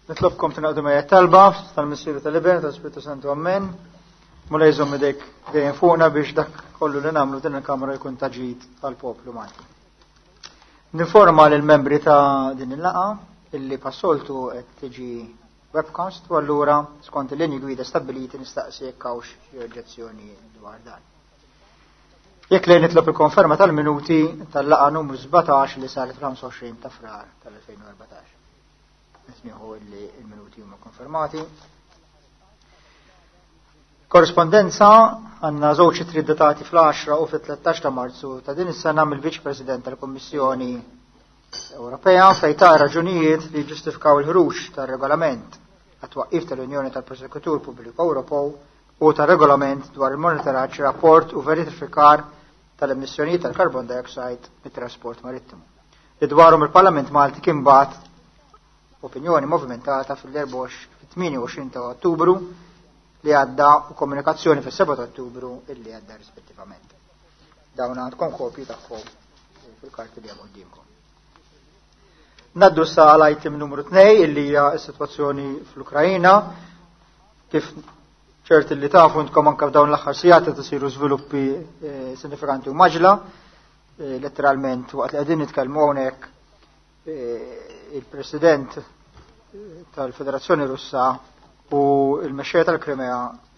Nitlobkom tingħaqdu miegħi talba tal-Missier tal-Iben tal-Spiritu Santu Amen. Mulej żomm idejk dejjem fuqna biex dak kollu li nagħmlu din il-Kamra jkun ta' ġid għall-poplu Malti. Ninforma lill membri ta' din il-laqa illi passoltu qed tiġi webcast u allura skont il-linji gwida stabbiliti nistaqsi jekk hawnx xi oġġezzjoni dwar dan. Jekk le nitlob il-konferma tal-minuti tal-laqa numru 17 li saret fl-25 ta' frar tal-2014. Nismiħu li il-minuti huma konfermati. Korrespondenza għanna żewġ ittri datati fl-10 u fil-13 ta' Marzu ta' din is-sena mill-Viċ President tal-Kummissjoni Ewropea fejn ta' raġunijiet li ġustifikaw il-ħruġ tar-regolament għat-twaqqif tal-Unjoni tal-Prosekutur Pubbliku Ewropew u tar-regolament dwar il-monitoraġġ, rapport u verifikar tal-emissjonijiet tal-carbon dioxide mit-trasport marittimu. Li dwarhom il-Parlament Malti kien bagħat opinjoni movimentata fil-28 ta' Ottubru li għadda u komunikazzjoni fis-7 ta' Ottubru illi għadda rispettivament. Dawn għandkom kopji tagħhom fil-karti li hemm quddiemkom. Naddu sa għal item numru 2 illi hija s-sitwazzjoni fl-Ukrajina kif ċert li tafu intkom anke f'dawn l-aħħar sigħat qed isiru żviluppi eh, sinifikanti u maġla, eh, letteralment waqt li qegħdin nitkellmu hawnhekk eh, il-President tal-Federazzjoni Russa u il-mexxejja tal-Krimea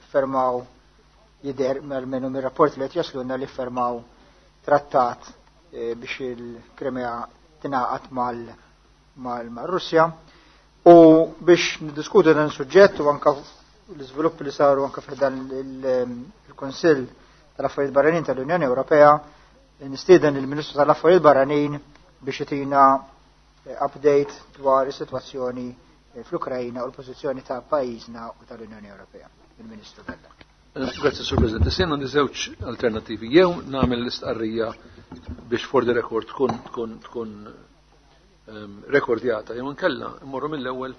fermaw jidher almenu mir-rapport li qed jaslunna li fermaw trattat biex il-Krimea tingħaqad mal-Russja. U biex niddiskutu dan suġġett u anka l-iżviluppi li saru anka f'dan il-Kunsill tal-Affarijiet Barranin tal-Unjoni Ewropea, nistieden il-Ministru tal-Affarijiet Barranin biex itina eh, update dwar is-sitwazzjoni eh, fl-Ukrajna u l-pożizzjoni ta' pajjiżna u tal-Unjoni Ewropea. Il-Ministru Vella. Eh, Grazie, Sur President. Sena għandi żewġ alternativi. Jew nagħmel l-istqarrija biex for the record tkun tkun tkun ehm, rekordjata, jew nkella mmorru mill-ewwel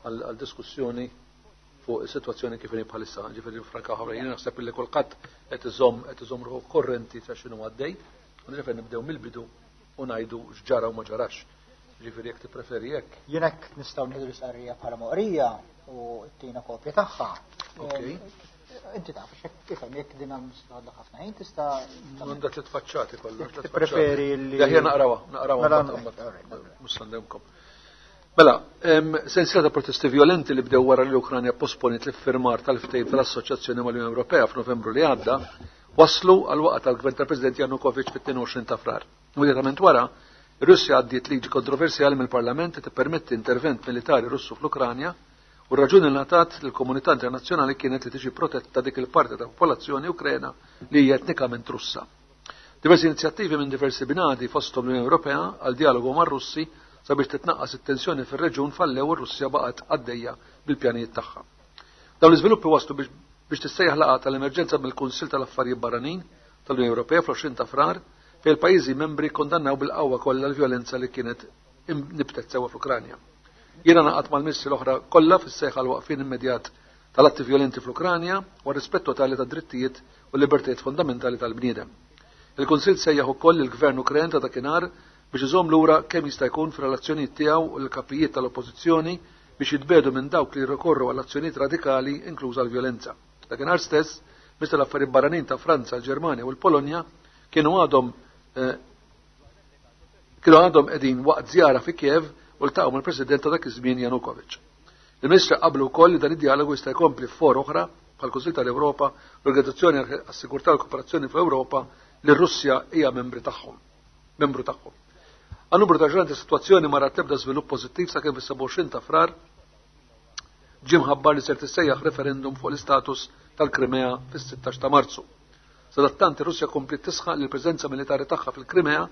għal diskussjoni fuq is-sitwazzjoni kif inhi bħalissa, ġifieri franka ħabra jien naħseb li kulħadd qed iżomm qed iżomm ruħu korrenti ta' x'inhu għaddej, u nġifieri nibdew mill-bidu u ngħidu x'ġara u ma ġarax. Ġifieri jekk tippreferi hekk. Jien hekk nistgħu nieħdu l-istqarrija bħala moqrija u tina kopja tagħha. Ok. Inti taf, ifhem jekk din għandha ħafna ħin tista' Għandha tliet faċċati kollha. Tippreferi li. Jaħjar naqrawha, naqrawha. Mela, mhux sandemkom. Mela, sensiela ta' protesti violenti li bdew wara li l-Ukranja posponiet l-iffirmar tal-ftehim tal-Assoċjazzjoni mal-Unjoni Ewropea f'Novembru li għadda, waslu għal waqgħa tal-gvern tal-President Janukovic fit-22 ta' Frar. Immedjatament wara, ir-Russja għaddiet liġi kontroversjali mill-Parlament li tippermetti intervent militari Russu fl-Ukranja u r-raġuni li ngħatat lill-komunità internazzjonali kienet li tiġi protetta dik il-parti ta' popolazzjoni Ukrena li hija etnikament Russa. Diversi inizjattivi minn diversi binadi fosthom l-Unjoni Ewropea għal dialogu mar-Russi sabiex titnaqqas it-tensjoni fir-reġjun fallew u r-Russja baqgħet għaddejja bil-pjanijiet tagħha. Dawn l-iżviluppi waslu biex biex tissejjaħ laqgħa tal-emerġenza mill-Kunsill tal-Affarijiet Barranin tal-Unjoni Ewropea fl-20 ta' Frar fejn il-pajjiżi membri kondannaw bil-qawwa kollha l-vjolenza li kienet nibtet sewwa fl-Ukranja. Jiena naqgħod mal-ministri l-oħra kollha fis-sejħa għal waqfien immedjat tal-atti vjolenti fl-Ukranja u għar-rispett totali tad-drittijiet u l-libertajiet fondamentali tal-bniedem. Il-Kunsill sejjaħ ukoll lill-Gvern Ukren ta' dakinhar biex iżomm lura kemm jista' jkun fir-relazzjonijiet tiegħu u lill-kapijiet tal-oppożizzjoni biex jitbiegħdu minn dawk li jirrikorru għal azzjonijiet radikali inkluża l-vjolenza. Dakinhar stess, Ministri tal-Affarijiet Barranin ta' Franza, l-Ġermanja u l-Polonja kienu għadhom eh, kienu għadhom qegħdin waqt żjara fi Kiev u ltaqgħu mal-President ta' dak iż-żmien Janukovic. Il-Ministri qablu wkoll li dan id-dialogu jista' jkompli f'for oħra bħall-Kunsill tal-Ewropa, l-Organizzazzjoni għas-Sigurtà u l-Kooperazzjoni fl-Ewropa li r-Russja hija membri tagħhom. Membru tagħhom. Għal numru ta' ġranet is-sitwazzjoni ma rat l-ebda żvilupp pożittiv sakemm fis-27 ta' Frar ġie mħabbar li ser tissejjaħ referendum fuq l-istatus tal-Krimea fis-16 ta' Marzu. Sadattant ir-Russja kompliet tisħaq li l-preżenza militari tagħha fil-Krimea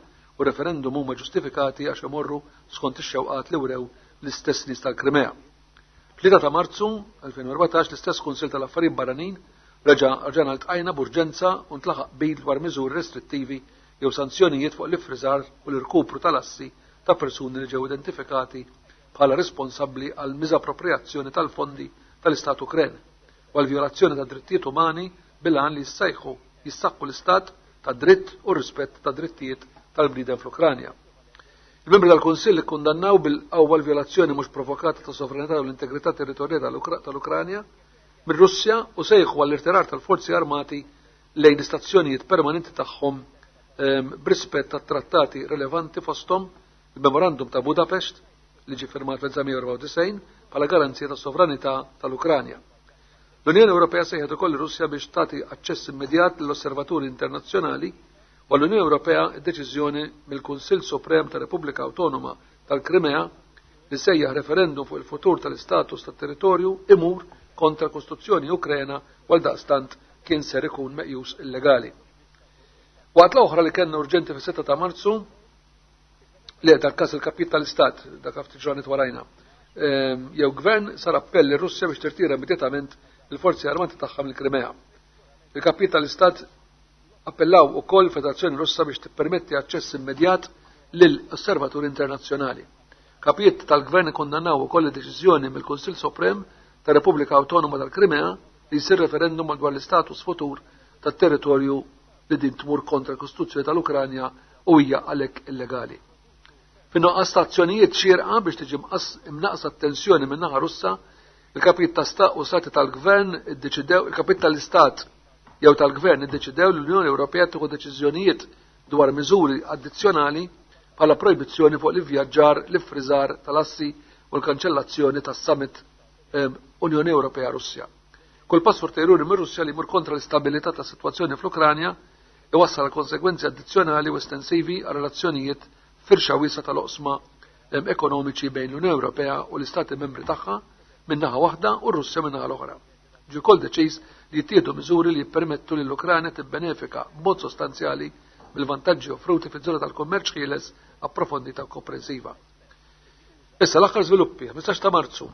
u referendum huma ġustifikati għax imorru skont ix-xewqat li wrew l-istess nies tal-Krimea. 3 ta' Marzu 2014 l-istess Kunsill tal-Affarijiet Barranin reġa' rġana ltqajna b'urġenza u ntlaħaq qbil dwar miżuri restrittivi jew sanzjonijiet fuq l-iffriżar u l-irkupru tal-assi ta' persuni li ġew identifikati bħala responsabbli għal miżappropriazzjoni tal-fondi tal-Istat Ukren u għal vjolazzjoni ta' drittijiet umani bil-għan li jissejħu jissaħħu l-istat ta' dritt u rispett ta' drittijiet tal-bniedem fl-Ukranja. Il-membri tal-Kunsill ikkundannaw bil-qawwa l-vjolazzjoni mhux provokata ta' sovranità u l-integrità territorjali tal-Ukranja mir-Russja u sejħu għall-irtirar tal-forzi armati lejn l-istazzjonijiet permanenti tagħhom b'rispett tat-trattati relevanti fosthom il-Memorandum ta' Budapest li ġie firmat fl-1994 bħala garanzija tas-sovranità tal-Ukranja. L-Unjoni Ewropea sejħet ukoll ir-Russja biex tagħti aċċess immedjat lill-osservaturi internazzjonali u għall-Unjoni Ewropea d-deċiżjoni mill-Kunsill Suprem tar-Repubblika Awtonoma tal-Krimea li sejjaħ referendum fuq il-futur tal-istatus tat-territorju imur kontra l-Kostituzzjoni Ukrena u għaldaqstant kien ser ikun meqjus illegali. Waqt l-oħra li kellna urġenti fis-6 ta' Marzu, li dal-każ il-kapijiet tal-Istat, dak ftit ġranet warajna, jew gvern sar appell lir-Russja biex tirtira immedjatament il-forzi armati tagħha mill-Krimea. Il-kapijiet tal-Istat appellaw ukoll Federazzjoni Russa biex tippermetti aċċess immedjat lil osservaturi internazzjonali. Kapijiet tal-gvern ikkundannaw ukoll id-deċiżjoni mill-Kunsill Suprem tar-Repubblika Awtonoma tal-Krimea li jsir referendum dwar l-istatus futur tat-territorju li din tmur kontra l-Kostituzzjoni tal-Ukranja u hija għalhekk illegali. Fin-nuqqas ta' azzjonijiet xierqa biex tiġi imnaqsa t-tensjoni min-naħa Russa, il-kapijiet ta' sta u stati tal-gvern iddeċidew, il-kapijiet tal-istat jew tal-gvern iddeċidew li l-Unjoni Ewropea tieħu deċiżjonijiet dwar miżuri addizzjonali bħala projbizzjoni fuq l-ivvjaġġar, l-iffriżar tal-assi u l-kanċellazzjoni tas-summit Unjoni Ewropea Russja. Kull pass ulterjuri mir-Russja li jmur kontra l-istabilità tas-sitwazzjoni fl-Ukranja iwassal għal konsegwenzi addizzjonali u estensivi għal relazzjonijiet firxa wiesgħa tal-oqsma ekonomiċi bejn l-Unjoni Ewropea u l-Istati membri tagħha minn naħa waħda u r-Russja minn naħa l-oħra. Ġie wkoll deċiż li jittieħdu miżuri li jippermettu lill-Ukranja tibbenefika b'mod sostanzjali mill-vantaġġi offruti fiż-żona tal-kummerċ ħieles approfondita u komprensiva. Issa l-aħħar żviluppi, 15 ta' Marzu,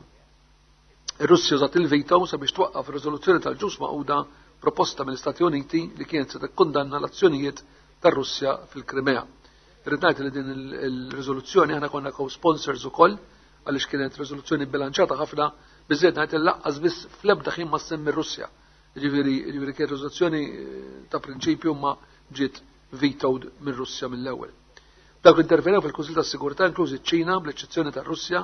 Ir-Russja użat il-veto sabiex twaqqaf ir-riżoluzzjoni tal-Ġnus Magħquda proposta mill-Istati Uniti li kienet se tikkundanna l-azzjonijiet tar-Russja fil-Krimea. Irrid ngħid li din il-riżoluzzjoni aħna konna co-sponsors ukoll għaliex kienet riżoluzzjoni bilanċata ħafna biżejjed ngħid laqqas biss fl-ebda ħin ma semmi r-Russja. Ġifieri ġifieri kienet riżoluzzjoni ta' prinċipju ma ġiet vetoed mir-Russja mill-ewwel. Dawk li intervenew fil-Kunsill tas-Sigurtà inklużi ċ-Ċina bl-eċċezzjoni tar-Russja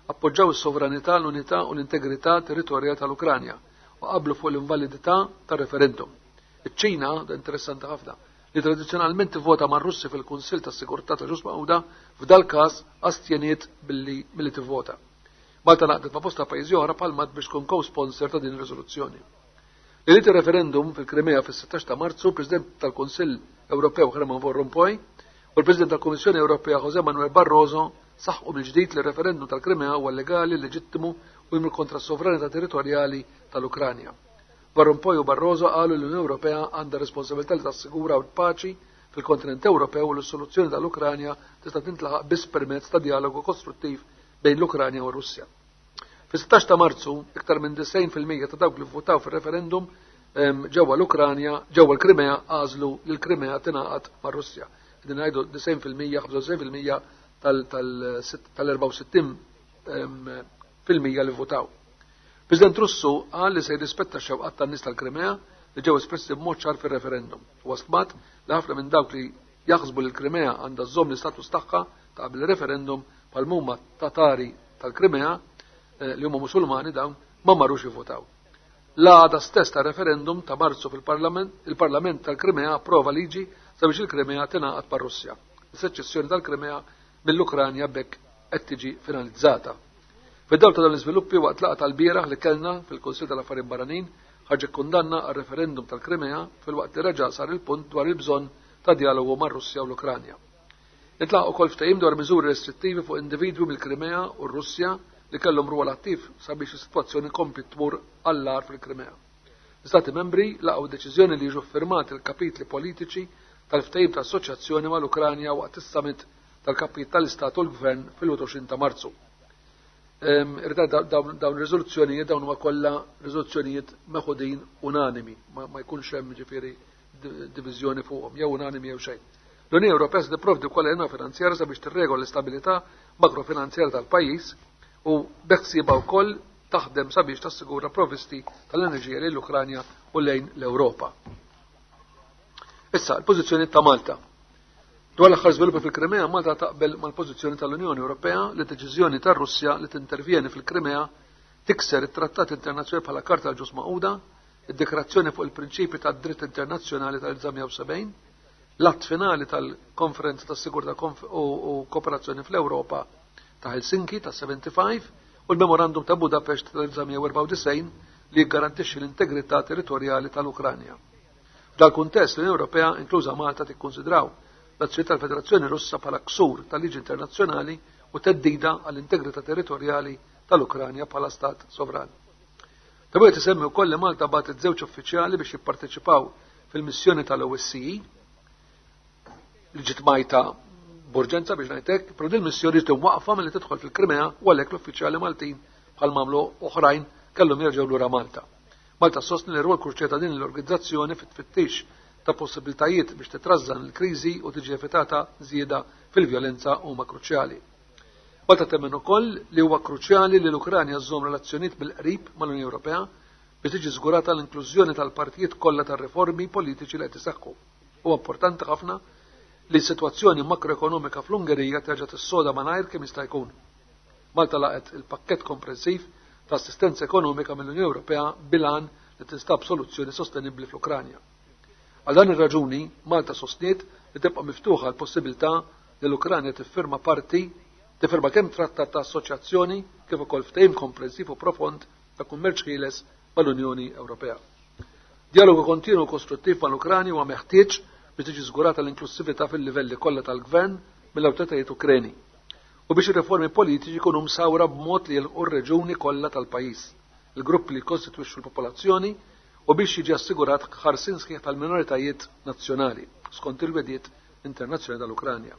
appoġġaw is-sovranità, l-unità u l-integrità territorjali tal-Ukranja u qablu fuq l-invalidità tar-referendum. Iċ-Ċina, da interessanti ħafna, li tradizzjonalment tivvota mar-Russi fil-Kunsill tas-Sigurtà tal-Ġnus Magħquda, f'dal-każ astjeniet billi milli tivvota. Malta ngħaqdet ma' bosta pajjiżi oħra bħal mat biex tkun co-sponsor ta' din ir-riżoluzzjoni. Lejliet ir-referendum fil-Krimea fis-16 ta' Marzu, il-President tal-Kunsill Ewropew Herman Van Rompuy u l-President tal-Kummissjoni Ewropea José Manuel Barroso saħqu mill-ġdid li r-referendum tal-Krimea huwa legali, leġittimu u jmur kontra s-sovranità territorjali tal-Ukranja. Van Rompuy u Barroso qalu li l-Unjoni Ewropea għandha responsabilità li tassigura l-paċi fil-kontinent Ewropew u li s-soluzzjoni tal-Ukranja tista' tintlaħaq biss permezz ta' dialogu kostruttiv bejn l-Ukranja u r-Russja. Fis-16 ta' Marzu, iktar minn 90% ta' dawk li vvutaw fir-referendum ġewwa l-Ukranja, ġewwa l-Krimea għażlu li l-Krimea tingħaqad mar-Russja. Qegħdin ngħidu 90%, 95% tal-64 fil-mija li votaw. President Russu qal li se jirrispetta x-xewqat tan-nies tal-Krimea li ġew espressi b'mod ċar fir-referendum. Huwa stmat li ħafna minn dawk li jaħsbu li l-Krimea għandha żżomm l-istatus tagħha ta' qabel ir-referendum bħal huma Tatari tal-Krimea li huma Musulmani dawn ma marrux jivvotaw. L-għada stess ta' referendum ta' Marzu fil-Parlament, il-Parlament tal-Krimea approva liġi sabiex il-Krimea tingħaqad mar-Russja. Is-seċessjoni tal-Krimea mill-Ukranja b'hekk qed tiġi finalizzata. Fid-dawl ta' dawn l-iżviluppi waqt laqgħa tal-bieraħ li kellna fil-Kunsill tal-Affarijiet Barranin ħarġet kundanna għar-referendum tal-Krimea filwaqt li reġa' sar il-punt dwar il-bżonn ta' djalogu mar-Russja u l-Ukranja. Intlaħaq ukoll ftehim dwar miżuri restrittivi fuq individwi mill-Krimea u r-Russja li kellhom rwol attiv sabiex is-sitwazzjoni kompliet tmur għall-agħar fil-Krimea. L-Istati Membri laqgħu d-deċiżjoni li jiġu ffirmati l-kapitli politiċi tal-ftehim ta' assoċjazzjoni mal-Ukranja waqt is-summit tal-kapijiet tal-Istat u l-Gvern fil-21 ta' Marzu. Irrid dawn ir-riżoluzzjonijiet dawn huma kollha riżoluzzjonijiet meħudin unanimi, ma jkunx hemm ġifieri diviżjoni fuqhom, jew unanimi jew xejn. L-Unjoni Ewropea se tipprovdi wkoll għajnuna finanzjarja sabiex tirregola l-istabilità makrofinanzjarja tal-pajjiż u beħsiebha wkoll taħdem sabiex tassigura provvisti tal-enerġija lejn l-Ukranja u lejn l-Ewropa. Issa, l-pożizzjoni ta' Malta. Dwar l-aħħar żviluppi fil-Krimea, Malta taqbel mal-pożizzjoni tal-Unjoni Ewropea li deċiżjoni tar-Russja li tintervjeni fil-Krimea tikser it-trattat internazzjonali bħala Karta tal-Ġnus Magħquda, id-Dikrazzjoni fuq il-Prinċipi tad-Dritt Internazzjonali tal-1970, l-att finali tal-Konferenza tas-Sigurtà u Kooperazzjoni fl-Ewropa ta' Helsinki tas-75 u l-Memorandum ta' Budapest tal-1994 li jiggarantixxi l-integrità territorjali tal-Ukranja. F'dal-kuntest, l-Unjoni Ewropea, inkluża Malta, tikkunsidraw l-azzjoni tal-Federazzjoni Russa bħala ksur tal-liġi internazzjonali u theddida għall-integrità territorjali tal-Ukranja bħala stat sovran. Ta' wieħed isemmi wkoll li Malta bagħtet żewġ uffiċjali biex jipparteċipaw fil-missjoni tal-OSCE li ġiet majta b'urġenza biex ngħidlek, però din missjoni ġiet imwaqfa milli tidħol fil-Krimea u għalhekk l-uffiċjali Maltin bħal m'għamlu oħrajn kellhom jerġgħu lura Malta. Malta sostni li r-rwol kruċjali ta' din l-organizzazzjoni fit-tfittix ta' possibiltajiet biex titrażżan il-kriżi u tiġi evitata żieda fil-vjolenza huma kruċjali. Malta temmen ukoll li huwa kruċjali li l-Ukranja żżomm relazzjonijiet bil-qrib mal-Unjoni Ewropea biex tiġi żgurata l-inklużjoni tal-partijiet kollha tar-riformi politiċi li qed iseħħu. Huwa importanti ħafna li s-sitwazzjoni makroekonomika fl-Ungerija terġa' tissoda malajr kemm jista' jkun. Malta laqgħet il-pakkett komprensiv ta' assistenza ekonomika mill-Unjoni Ewropea bil-għan li tinstab soluzzjoni sostenibbli fl-Ukranja. Għal dan ir-raġuni, Malta sostniet li tibqa' miftuħa l-possibilità li l-Ukranja tiffirma parti tiffirma kemm trattat ta' assoċjazzjoni kif ukoll ftehim komprensiv u profond ta' kummerċ ħieles mal-Unjoni Ewropea. Dialogu kontinu u kostruttiv mal-Ukranja huwa meħtieġ biex tiġi żgurata l-inklussività fil-livelli kollha tal-gvern mill-awtoritajiet Ukreni u biex ir-riformi politiċi jkunu msawra b'mod li jilħqu r-reġuni kollha tal-pajjiż, il-gruppi li jikkostitwixxu l-popolazzjoni u biex jiġi assigurat ħarsien sħiħ tal-minoritajiet nazzjonali skont il-wegħdiet internazzjonali tal-Ukranja.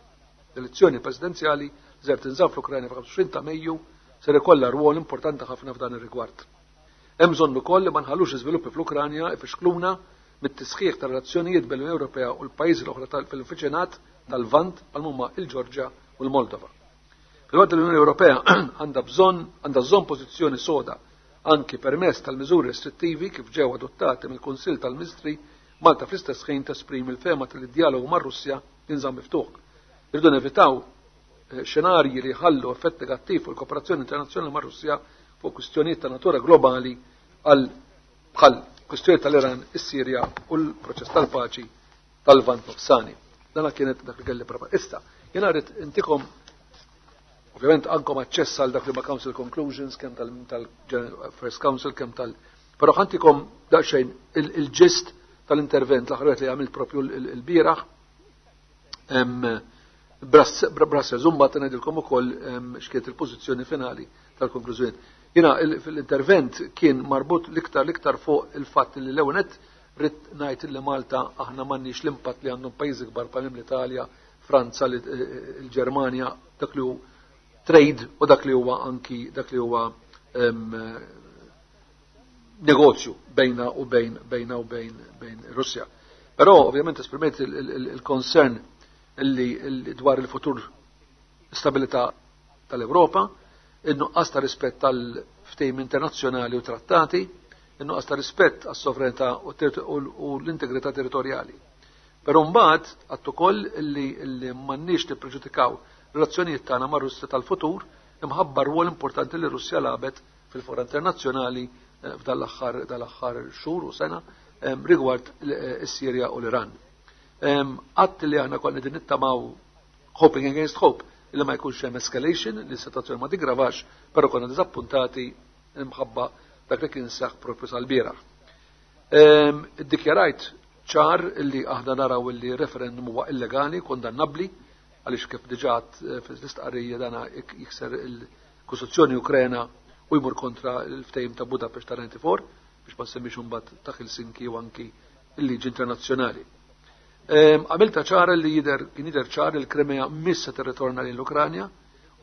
L-elezzjoni presidenzjali li ser tinżamm fl-Ukranja fil-25 ta' Mejju ser ikollha rwol importanti ħafna f'dan ir-rigward. Hemm bżonn ukoll li ma nħallux l-iżviluppi fl-Ukranja ifixkluna mit-tisħiħ tar-relazzjonijiet bejn l-Unjoni Ewropea u l-pajjiżi l-oħra fil-viċinat tal-Lvant bħal huma l-Ġorġja u l-Moldova. Filwaqt li l-Unjoni Ewropea għandha bżonn għandha żżomm pożizzjoni soda anki permezz tal-miżuri restrittivi kif ġew adottati mill-Kunsill tal-Ministri, Malta fl-istess ħin tesprimi l-fehma li d-dialogu mar-Russja jinżamm miftuħ. Irridu nevitaw xenarji li jħallu effett negattiv fuq il-kooperazzjoni internazzjonali mar-Russja fuq kwistjonijiet ta' natura globali għal bħal kwistjoni tal-Iran, is-Sirja u l-proċess tal-paċi tal-Lvant Nofsani. Dana kienet dak li kelli prepar. Issa, jena rrid intikom ovvjament għandkom aċċess għal dak li ma Council Conclusions, kemm tal-First Council, kemm tal- Però ħa ntikom daqsxejn il-gist tal-intervent l-aħħar li għamilt propju il-bieraħ. Brussels, mbagħad ngħidilkom ukoll x'kienet il-pożizzjoni finali tal-konklużjoni. Jiena fil-intervent kien marbut l-iktar fuq il-fatt li l-ewwel rrid ngħid li Malta aħna m'għandniex l-impatt li għandhom pajjiżi kbar bħal l-Italja, Franza, il-Ġermanja, dak li hu trade u dak li huwa anki dak li huwa negozju bejna u bejn Russja. Però ovvjament esprimejt il-concern illi dwar il-futur stabilità tal-Ewropa, il-nuqqas ta' rispett tal-ftehim internazzjonali u trattati, il-nuqqas ta' rispett għas-sovranità u l-integrità territorjali. Però mbagħad għedt ukoll illi m'għandniex nippreġudikaw relazzjonijiet tagħna mar-Russja tal-futur imħabba rwol importanti li Russja lagħbet fil-fora internazzjonali f'dal-aħħar dal-aħħar xhur u sena rigward is-Sirja u l-Iran. Għedt li aħna konna din nittamaw, hoping against hope, li ma jkunx hemm escalation, li s-situazzjoni ma tigravax, però konna diżappuntati imħabba dak li kien seħ propju sal-bieraħ. Iddikjarajt ċar li aħna naraw li referendum huwa illegali, kondannabli, għaliex kif diġà fl-istqarrija dana jikser il-Kostituzzjoni Ukrena u jmur kontra l-ftehim ta' Budapest ta' 94, biex ma semmix imbagħad ta' Helsinki u anki il-liġi internazzjonali. Għamilta ċara li jider kien jidher ċar il-Krimea mhix se tirritorna lejn l-Ukranja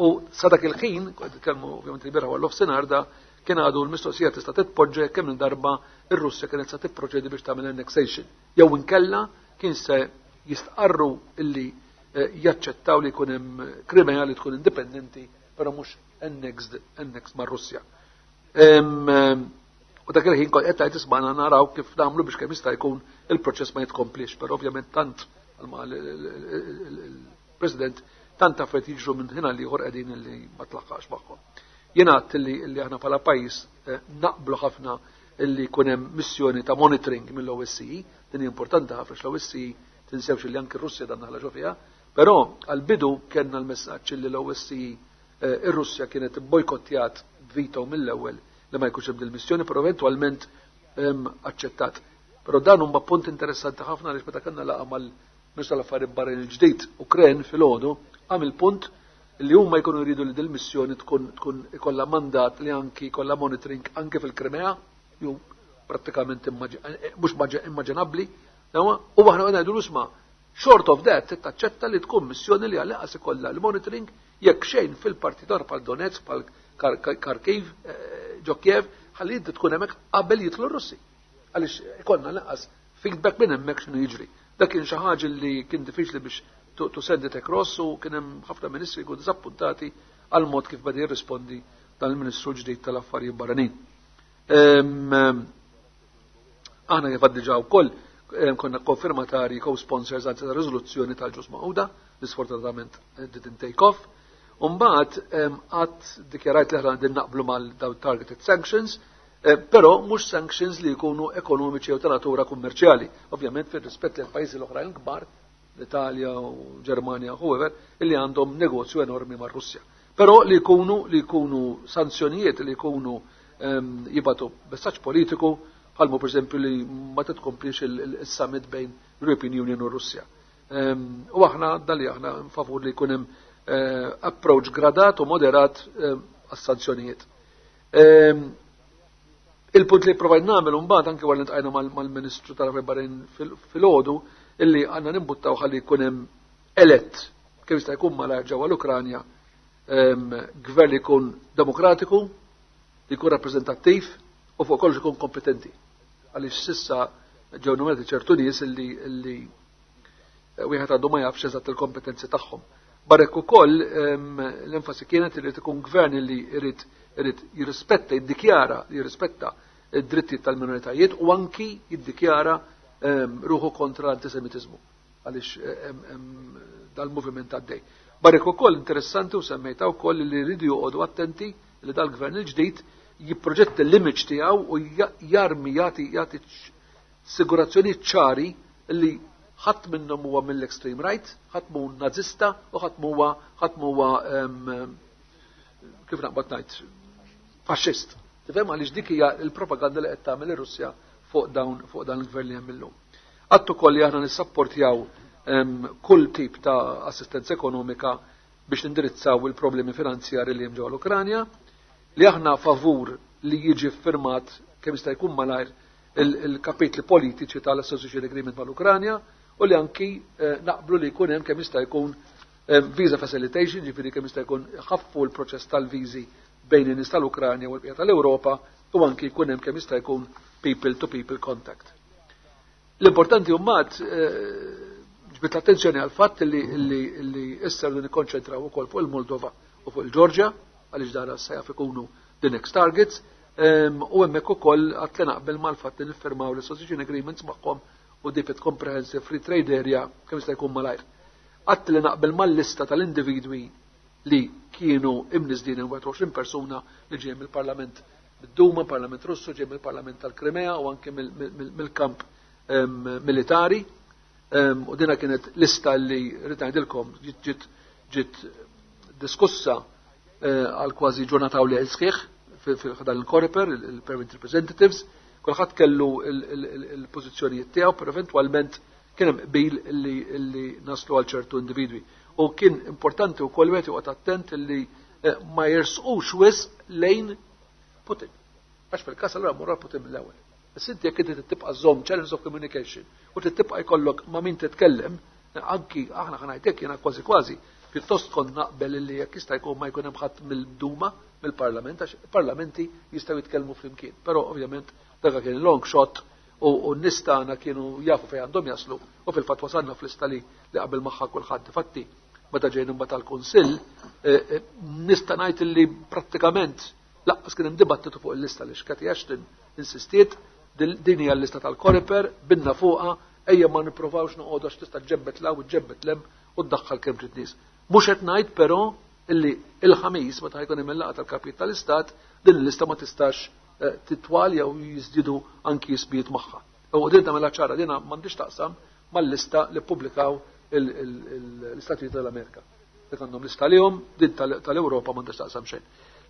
u sa dak il-ħin, kelmu ovvjament il-bieraħ għall nofsinhar da, kien għadu l-mistoqsija tista' titpoġġa kemm darba ir-Russja kienet se tipproċedi biex tagħmel annexation. Jew inkella kien se jistqarru illi jaċċettaw li jkun hemm Krimea li tkun indipendenti, però mhux annexed mar-Russja. U dak il-ħin kont qed tgħid ismagħna naraw kif nagħmlu biex kemm jista' jkun il-proċess ma jitkomplix, però ovvjament tant Għalma il-President tant affarijiet jiġru minn ħin għal ieħor qegħdin li ma tlaħħaqx magħhom. Jien għedt li aħna bħala pajjiż naqblu ħafna illi jkun hemm missjoni ta' monitoring mill-OSCE, din hija importanti ħafna l-OSCE, tinsewx li anke r-Russja dan ħla fiha, però għal-bidu kellna l-messaġġ li l-OSCE, ir-Russja kienet bojkottjat veto mill-ewwel li ma jkunx hemm il-missjoni, però eventwalment aċċettat. Però dan huma punt interessanti ħafna għaliex meta kellna laqgħa mal-Ministru tal-Affarijiet Barranin il-ġdid Ukren filgħodu, għamel punt li huma jkunu jridu li dil-missjoni tkun ikollha mandat li anki jkollha monitoring anke fil-Krimea, ju prattikament mhux immaġinabbli, u aħna ngħidu isma', short of that, taċċetta li tkun missjoni li għal ikollha l-monitoring jekk xejn fil-partitar bħal Donetsk, bħal Kharkiv, ġo Kiev, ħalli inti tkun hemmhekk qabel jidħlu r-Russi. Għaliex ikollna lanqas feedback minn hemmhekk x'inhu jiġri. Dak kien xi ħaġa li kien diffiċli biex to send it across u kien hemm ħafna ministri jkunu disappuntati għal mod kif beda jirrispondi dan il-Ministru ġdid tal-Affarijiet Barranin. Aħna kif diġà wkoll konna konfirmatari, co-sponsors għal ta' riżoluzzjoni tal-Ġnus Magħquda, li sfortunatament didn't take off. Umbagħad għad dikjarajt li aħna din naqblu mal daw targeted sanctions, però mhux sanctions li jkunu ekonomiċi u ta' natura kummerċjali. Ovvjament fir-rispett lil pajjiżi l-oħrajn kbar, l-Italja u Ġermanja, whoever, illi għandhom negozju enormi mar-Russja. Però li jkunu sanzjonijiet li jkunu jibagħtu messaġġ politiku, bħalmu per esempio li ma titkomplix il-summit bejn l-European Union u Russja. U aħna dali aħna favur li jkun hemm approach gradat u moderat għas-sanzjonijiet. Il-punt li provajt nagħmel mbagħad anke wara li ltqajna mal-Ministru tal-Affarijiet Barranin filgħodu illi għandna nimbuttaw ħalli jkun hemm elett kif jista' jkun malajr ġewwa l-Ukranja gvern li jkun demokratiku, li jkun rappreżentattiv u fuq kollox ikun kompetenti. Għaliex s'issa ġew nominati ċertu nies illi wieħed għadu ma jafx eżatt il-kompetenzi tagħhom. Barra hekk ukoll l-enfasi kienet li ikun gvern li jrid jirrispetta, jiddikjara li jirrispetta id-drittijiet tal-minoritajiet u anki jiddikjara ruħu kontra l-antisemitizmu għaliex dal-moviment għaddej. Barra hekk ukoll interessanti u semmejta wkoll li rridu joqogħdu attenti li dal-gvern il-ġdid jipproġetta l-image tiegħu u jarmi jagħti assigurazzjoni ċari li ħadd minnhom huwa mill-extreme right, ħadd mhu nazista u ħadd huwa, kif naqbad ngħid, faxxist. Tifhem, għaliex dik hija l-propaganda li qed tagħmel ir-Russja fuq dan il-gvern li hemm illum. Għedt ukoll li aħna nissapportjaw kull tip ta' assistenza ekonomika biex nindirizzaw il-problemi finanzjari li hemm ġewwa l-Ukranja, li aħna favur li jiġi firmat kemm jista' jkun malajr il-kapitli politiċi tal-Association Agreement mal-Ukranja u li anki naqblu li jkun hemm kemm jista' jkun visa facilitation, ġifieri kemm jista' jkun ħaffu l-proċess tal-viżi bejn in-nies tal-Ukranja u l-bqija tal-Ewropa u anki jkun hemm kemm jista' jkun people to people contact. L-importanti mbagħad ġbidt l-attenzjoni għal fatt li issa rridu nikkonċentraw ukoll fuq il-Moldova u fuq il-Ġorġja għaliex dara se jaf ikunu the next targets, u hemmhekk ukoll għedt li naqbel mal-fatt li niffirmaw l-association agreements magħhom u dipit comprehensive free trade area kemm jista' jkun malajr. Għedt li naqbel mal-lista tal-individwi li kienu imniżżlin, 21 persuna li ġej mill-Parlament bid-Duma, Parlament Russu, ġej mill-Parlament tal-Krimea u anke mill-kamp militari. U dina kienet lista li rrid ngħidilkom ġiet diskussa għal kważi ġurnata u lejl sħiħ fil-dan il-Coreper, il-Permanent Representatives, kulħadd kellu il-pożizzjonijiet tiegħu, però eventwalment kien hemm qbil li naslu għal ċertu individwi. U kien importanti wkoll wieħed joqgħod attent li ma jersqux wisq lejn Putin. Għax fil-każ allura morra Putin mill-ewwel. Issa inti jekk inti tibqa' żomm channels of communication u tibqa' jkollok ma' min titkellem, anki aħna ħa ngħidlek jiena kważi kważi pjuttost kont naqbel li jekk jista' jkun ma jkun hemm ħadd mill-Duma, mill-Parlament, għax parlamenti jistgħu jitkellmu flimkien. Però ovvjament dak kien long shot u n-nies tagħna kienu jafu fejn għandhom jaslu u fil-fatt wasalna fl-lista li qabel magħha kulħadd. Infatti, meta ġejna mbagħad tal-Kunsill, nista' ngħid li prattikament lanqas kien hemm dibattitu fuq il-lista li Cathy Ashton insistiet din hija l-lista tal-Coreper, binna fuqha. Ejja ma nipprovawx noqogħdu għax tista' ġġebbed 'l hawn u ġġebbed 'l hemm u ddaħħal kemm trid nies. Mhux qed ngħid però illi il-Ħamis, meta ħa jkun hemm il-laqgħa tal-kapijiet tal-Istat, din il-lista ma tistax titwal jew jiżdiedu anki ismijiet magħha. U din tagħmilha ċara, din m'għandix taqsam mal-lista li ppubblikaw l-Istati Uniti tal-Amerika. Dik għandhom lista lihom, din tal-Ewropa m'għandix taqsam xejn.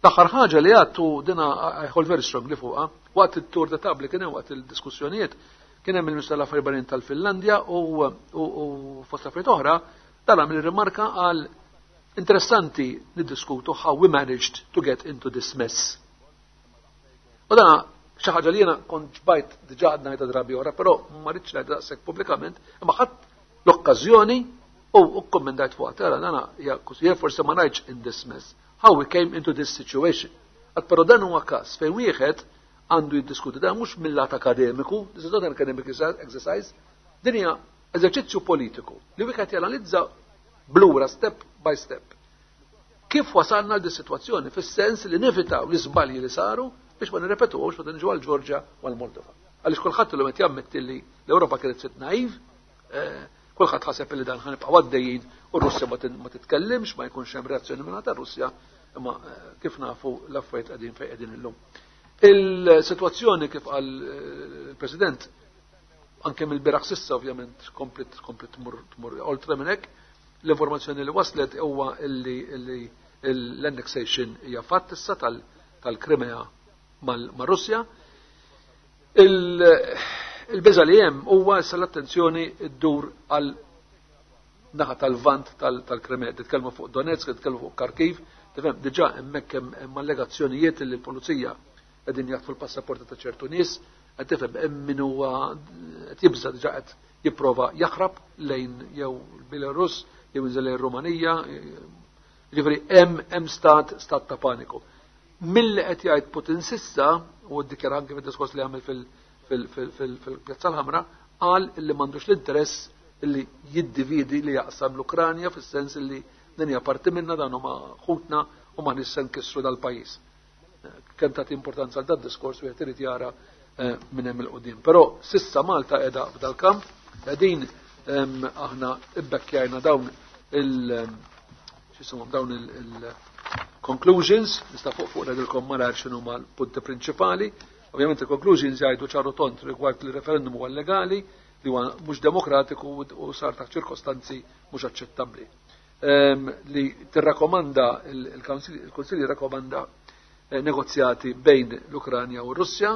L-aħħar ħaġa li għadtu dina, I hold very strongly fuqha, waqt it-tour de table kien hemm, waqt il-diskussjonijiet, kien hemm il-Ministru tal-Affarijiet Barranin tal-Finlandja u fost affarijiet oħra dan għamel rimarka għal interessanti niddiskutu how we managed to get into this mess. U dan xi ħaġa li jiena kont ġbajt diġà għadna ngħidha drabi oħra, però ma rridx ngħidha daqshekk pubblikament, imma ħadd l-okkażjoni u kkommendajt fuq tara dana hija forsi ma ngħidx in this mess, how we came into this situation. Għad però dan huwa każ fejn wieħed għandu jiddiskuti dan mhux mill-lat akademiku, this is not an academic exercise, din hija eżerċizzju politiku li wieħed janalizza blura step by step. Kif wasalna għal sitwazzjoni fis-sens li nevitaw l-iżbalji li saru biex ma nirrepetuhomx meta niġu għal-Ġorġja u għal-Moldova? Għaliex kulħadd illum qed jammetti li l-Ewropa kienet ftit naiv, kulħadd ħaseb li dan ħa nibqgħu għaddejjin u Russja ma titkellimx, ma jkunx hemm reazzjoni minn ta' Russja, imma kif nafu l-affarijiet qegħdin fejn qegħdin illum. Il-sitwazzjoni, kif qal il-President, anke mill-bieraħ s'issa ovvjament komplet tmur oltre minn hekk, l-informazzjoni li waslet huwa illi l-annexation hija fatt issa tal-Krimea mal-Russja. Il-biża li hemm huwa issa l-attenzjoni ddur għal naħa tal-vant tal-Krimea, titkellmu fuq Donetsk, titkellmu fuq Kharkiv, tifhem, diġà hemmhekk hemm allegazzjonijiet li l-pulizija qegħdin jaħtfu l-passaporti ta' ċertu nies, qed tifhem, hemm min huwa qed jibża, diġà qed jipprova jaħrab lejn jew Belarus jew inżel lejn Rumanija, ġifieri hemm stat ta' paniku. Milli qed jgħid Putin s'issa, u ddikjara anke fid-diskors li għamel fil-Pjazza l-Ħamra, qal li m'għandux l-interess li jiddividi, li jaqsam l-Ukranja, fis-sens li din hija parti minna, dan huma ħutna u ma nista nkissru dal-pajjiż. Kemm tagħti importanza għal dad-diskors wieħed irid jara minn hemm il-qudiem. Però s'issa Malta qiegħda f'dal-kamp, qegħdin aħna ibbekkjajna dawn il x'ismhom dawn il-conclusions, nista' fuq ngħidilkom malar x'inhu l-punti prinċipali. Ovvjament il-conclusions jgħidu ċar u tond rigward li referendum huwa legali, li huwa mhux demokratiku u sar taħt ċirkostanzi mhux aċċettabbli. Li tirrakkomanda il-Kunsill jirrakkomanda negozjati bejn l-Ukranja u r-Russja,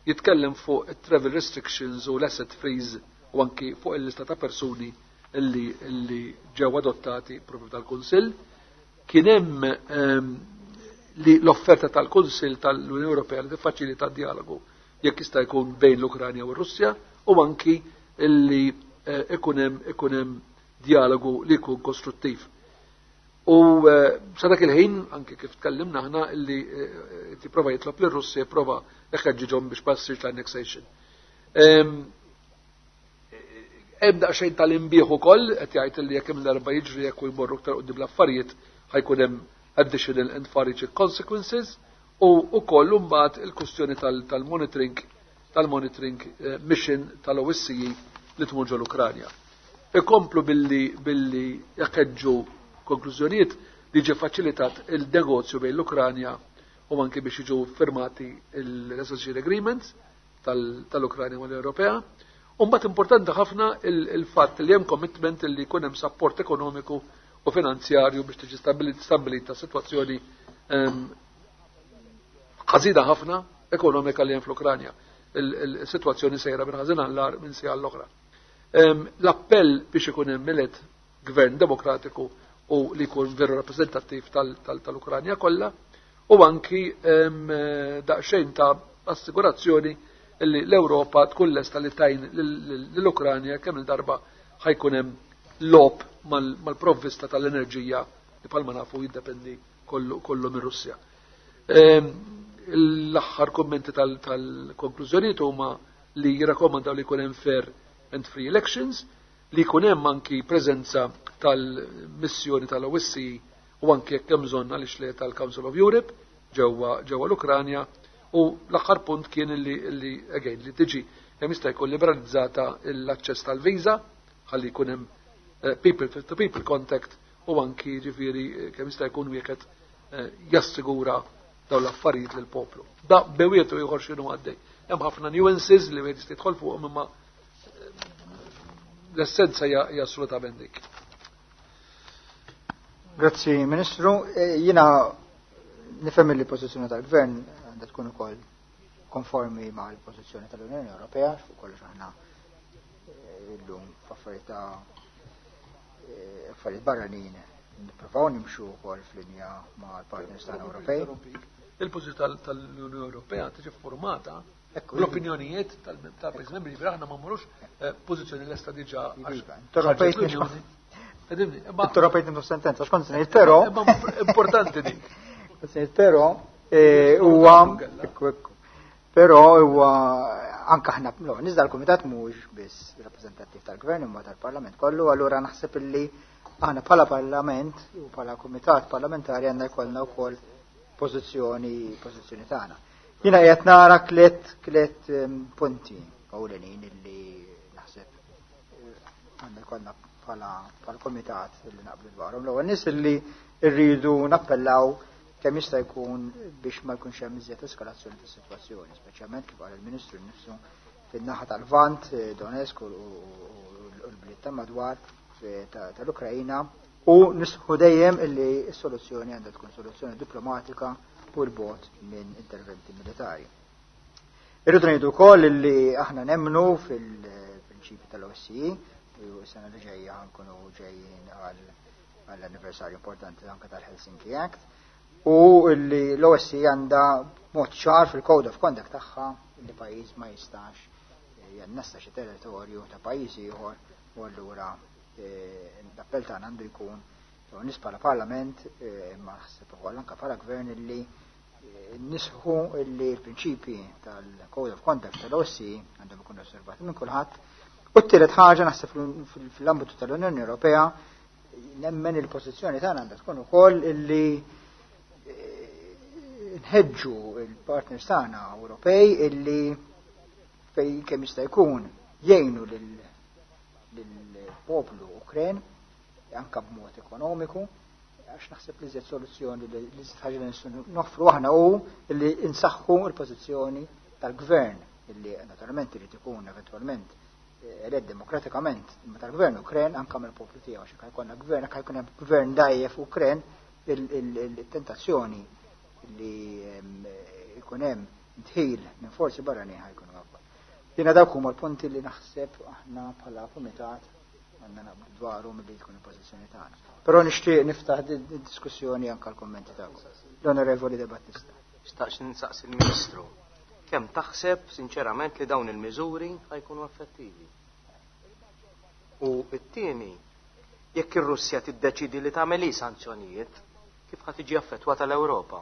jitkellem fuq travel restrictions u l-asset freeze u anki fuq il-lista ta' persuni illi ġew adottati propju tal-Kunsill. Kien hemm li l-offerta tal-Kunsill tal-Unjoni Ewropea li tiffaċilita dialogu jekk jista' jkun bejn l-Ukranja u r-Russja u anki illi ikun hemm dialogu li jkun kostruttiv. U sa dak il-ħin, anke kif tkellimna aħna, illi tipprova jitlob lir Russja jipprova jħeġġiġhom biex ma ssirx l-annexation. Hemm daqsxejn tal-inbieħ ukoll qed jgħid li jekk hemm darba jiġri jekk u jmorru aktar quddiem l-affarijiet, ħa jkun hemm additional and far-reaching consequences u wkoll imbagħad il-kwistjoni tal-monitoring mission tal-OSCE li tmur ġol Ukranja. Ikomplu billi jakeġġu konklużjonijiet li ġie faċilitat il-negozju bejn l-Ukranja u anki biex jiġu firmati l-Association Agreements tal-Ukranja u l-Ewropea. U mbagħad importanti ħafna il-fatt li hemm commitment li jkun hemm support ekonomiku u finanzjarju biex tiġi stabilita sitwazzjoni ħażina ħafna ekonomika li hemm fl-Ukranja. Il-sitwazzjoni sejra minn ħażin għall minn siegħa l-oħra. L-appell biex ikun hemm elett gvern demokratiku u li jkun veru rappreżentattiv tal-Ukranja kollha u anki daqsxejn ta' assigurazzjoni li l-Ewropa tkun lesta li tgħin l-Ukranja kemm il-darba ħa jkun hemm lop mal-provvista tal-enerġija li bħalma nafu jiddependi kollu minn Russja. L-aħħar kommenti tal-konklużjonijiet huma li jirrakkomandaw li jkun hemm fair and free elections, li jkun hemm anki preżenza tal-missjoni tal-OSCE u anki jekk hemm bżonn, għaliex le, tal-Council of Europe ġewwa l-Ukranja u l-aħħar punt kien li again li tiġi kemm jista' jkun liberalizzata l-aċċess tal-viża ħalli jkun hemm people to people contact u anki ġifieri kemm jista' jkun wieħed jassigura dawn l-affarijiet lill-poplu. Da bewietu ieħor x'inhu għaddej. Hemm ħafna nuances li wieħed jista' jidħol fuqhom, imma l-essenza hija assolutament dik. Grazzi, Ministru. Jiena nifhem li l-pożizzjoni tal-Gvern għandha tkun ukoll konformi ma' l-pożizzjoni tal-Unjoni Ewropea, fuq kollox aħna illum f'affarijiet ta' affarijiet barranin nippruvaw nimxu wkoll f'linja ma' l-partners tagħna Ewropej. Il-pożizzjoni tal-Unjoni Ewropea tiġi formata l-opinjonijiet tal-pajjiż membri, ġifieri aħna ma mmorrux pożizzjoni lesta diġà. Interrompejt nifsu sentenza, x'kont se ngħid, però. Importanti dik. Però huwa però huwa anke aħna no, nizda l-Kumitat mhuwiex biss rappreżentattiv tal-Gvern imma tal-Parlament kollu, allura naħseb illi aħna bħala Parlament u bħala Kumitat Parlamentari għandna jkollna wkoll pożizzjoni tagħna. Jiena qiegħed nara tliet punti ewlenin illi naħseb għandna jkollna bħala komitat illi naqblu dwarhom. L-ewwel nies illi rridu nappellaw kemm jista' jkun biex ma jkunx hemm iżjed eskalazzjoni tas-sitwazzjoni, speċjalment kif qal il-Ministru nnifsu fin-naħa tal-Lvant, Donetsk u l-bliet ta' madwar tal-Ukrajina, u nisħu dejjem illi s-soluzzjoni għandha tkun soluzzjoni diplomatika u l-bot minn interventi militari. Irridu ngħidu wkoll illi aħna nemmnu fil-prinċipi tal-OSCE, u s-sena li ġejja nkunu ġejjin għall-anniversarju importanti anke tal-Helsinki Act, u illi l-OSCE għandha mod ċar fil-Code of Conduct tagħha li pajjiż ma jistax jannessa xi territorju ta' pajjiż ieħor, u allura l-appell tagħna għandu jkun nies bħala Parlament, imma naħseb ukoll anke bħala Gvern, illi nisħu illi l-prinċipi tal-Code of Conduct tal-OSCE għandhom ikunu osservati minn kulħadd. U t-tielet ħaġa, naħseb fl-ambitu tal-Unjoni Ewropea nemmen il-pożizzjoni tagħna għandha tkun ukoll illi nħeġġu il-partners tagħna Ewropej illi fej kemm jista' jkun jgħinu lill-poplu Ukren anka b'mod ekonomiku, għax naħseb li żed soluzzjoni li żed ħaġa li nistgħu noffru aħna hu li insaħħu l-pożizzjoni tal-gvern illi naturalment irid ikun eventwalment elett demokratikament, imma tal-gvern Ukren anka mill-poplu tiegħu, għax jekk jkollna gvern, jekk jkun hemm gvern dajjef Ukren, il-tentazzjoni li jkun hemm dħil minn forzi barranin ħajkunu akbar. Jiena dawk huma l-punti li naħseb aħna bħala kumitat għandna naqblu dwarhom li tkun il-pożizzjoni tagħna. Però nixtieq niftaħ diskussjoni anke l-kommenti tagħkom. L-Onorevoli De Battista. Xtaqx nsaqsi l-Ministru. Kemm taħseb sinċerament li dawn il-miżuri ħajkunu effettivi? U t-tieni, jekk ir-Russja tiddeċidi li tagħmel sanzjonijiet, kif ħa tiġi affettwata l-Ewropa?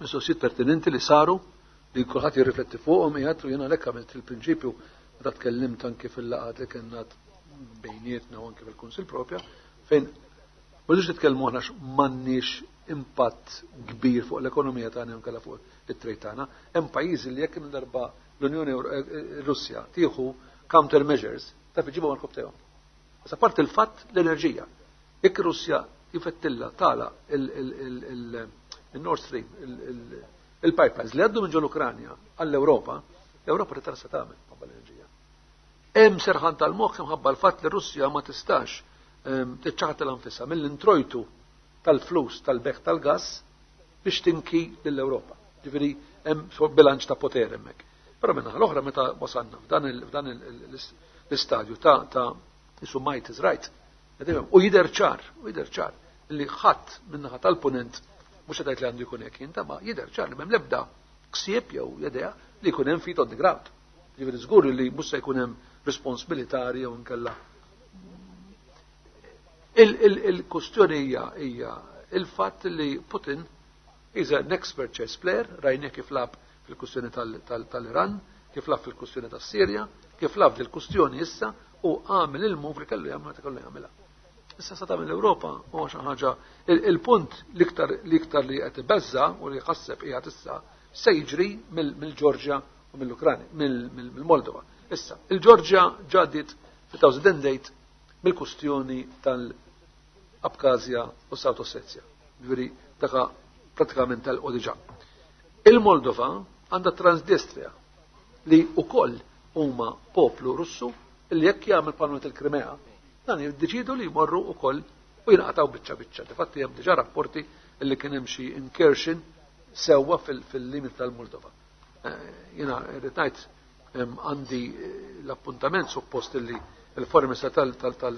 Mistoqsijiet pertinenti li saru li kulħadd jirrifletti fuqhom qiegħed, u jiena lek għamilt il-prinċipju meta tkellimt anke fil-laqgħat li kellna bejnietna u anke fil-Kunsill propja, fejn ma rridux nitkellmu aħna m'għandniex impatt kbir fuq l-ekonomija tagħna jew inkella fuq it-trade tagħna. Hemm pajjiżi li jekk darba l-Unjoni Russja tieħu countermeasures taf iġibhom għall-kopptejhom. Sa part il-fatt l-enerġija. Jekk Russja jifettilla tala il-Nord Stream, il-pipelines li għaddu minn ġol-Ukranja għall-Ewropa, l-Ewropa trid se tagħmel ħabba l-enerġija. Hemm serħan tal-moħħ imħabba l-fatt li Russja ma tistax tiċċaħat l-anfisha mill-introjtu tal-flus tal-beħ tal-gass biex tinki lill-Ewropa. Ġifieri hemm bilanċ ta' poter hemmhekk. Però minn l-oħra, meta wasalna f'dan l-istadju ta' isu might is right. U jidher ċar, u jidher ċar li ħadd min-naħa tal-punent mhux qed li għandu jkun hekk jinta, ma jidher ċar li m'hemm l-ebda ksieb jew idea li jkun hemm feet on the ground. Ġifieri żgur li mhux se jkun hemm respons militari jew inkella. Il-kustjoni hija il-fatt li Putin is an expert chess player, rajna kif lagħab fil-kustjoni tal-Iran, kif lagħab fil-kustjoni tas-Sirja, kif lagħab fil-kustjoni issa u għamel il-move li kellu jagħmel meta kellu jagħmilha. Issa sa tagħmel l-Ewropa huwa xi ħaġa, il-punt l-iktar li qed ibeżza u li jħasseb qiegħed issa. se jiġri mill-Ġorġja u mill-Ukranja, mill-Moldova. Issa, il-Ġorġja ġaddiet 2008 mill-kustjoni tal-Abkazja u South Ossetia. Ġifieri daka pratikament tal-qodiġa. Il-Moldova għandha Transnistria li wkoll huma poplu Russu li jekk jagħmel parlament il-Krimea, dan jiddeċidu li jmorru wkoll u jinqataw biċċa biċċa. Difatti hemm diġà rapporti li kien hemm xi incursion sewwa fil-limit tal-Moldova. Jiena rrid ngħid għandi l-appuntament suppost li il-Foreign Minister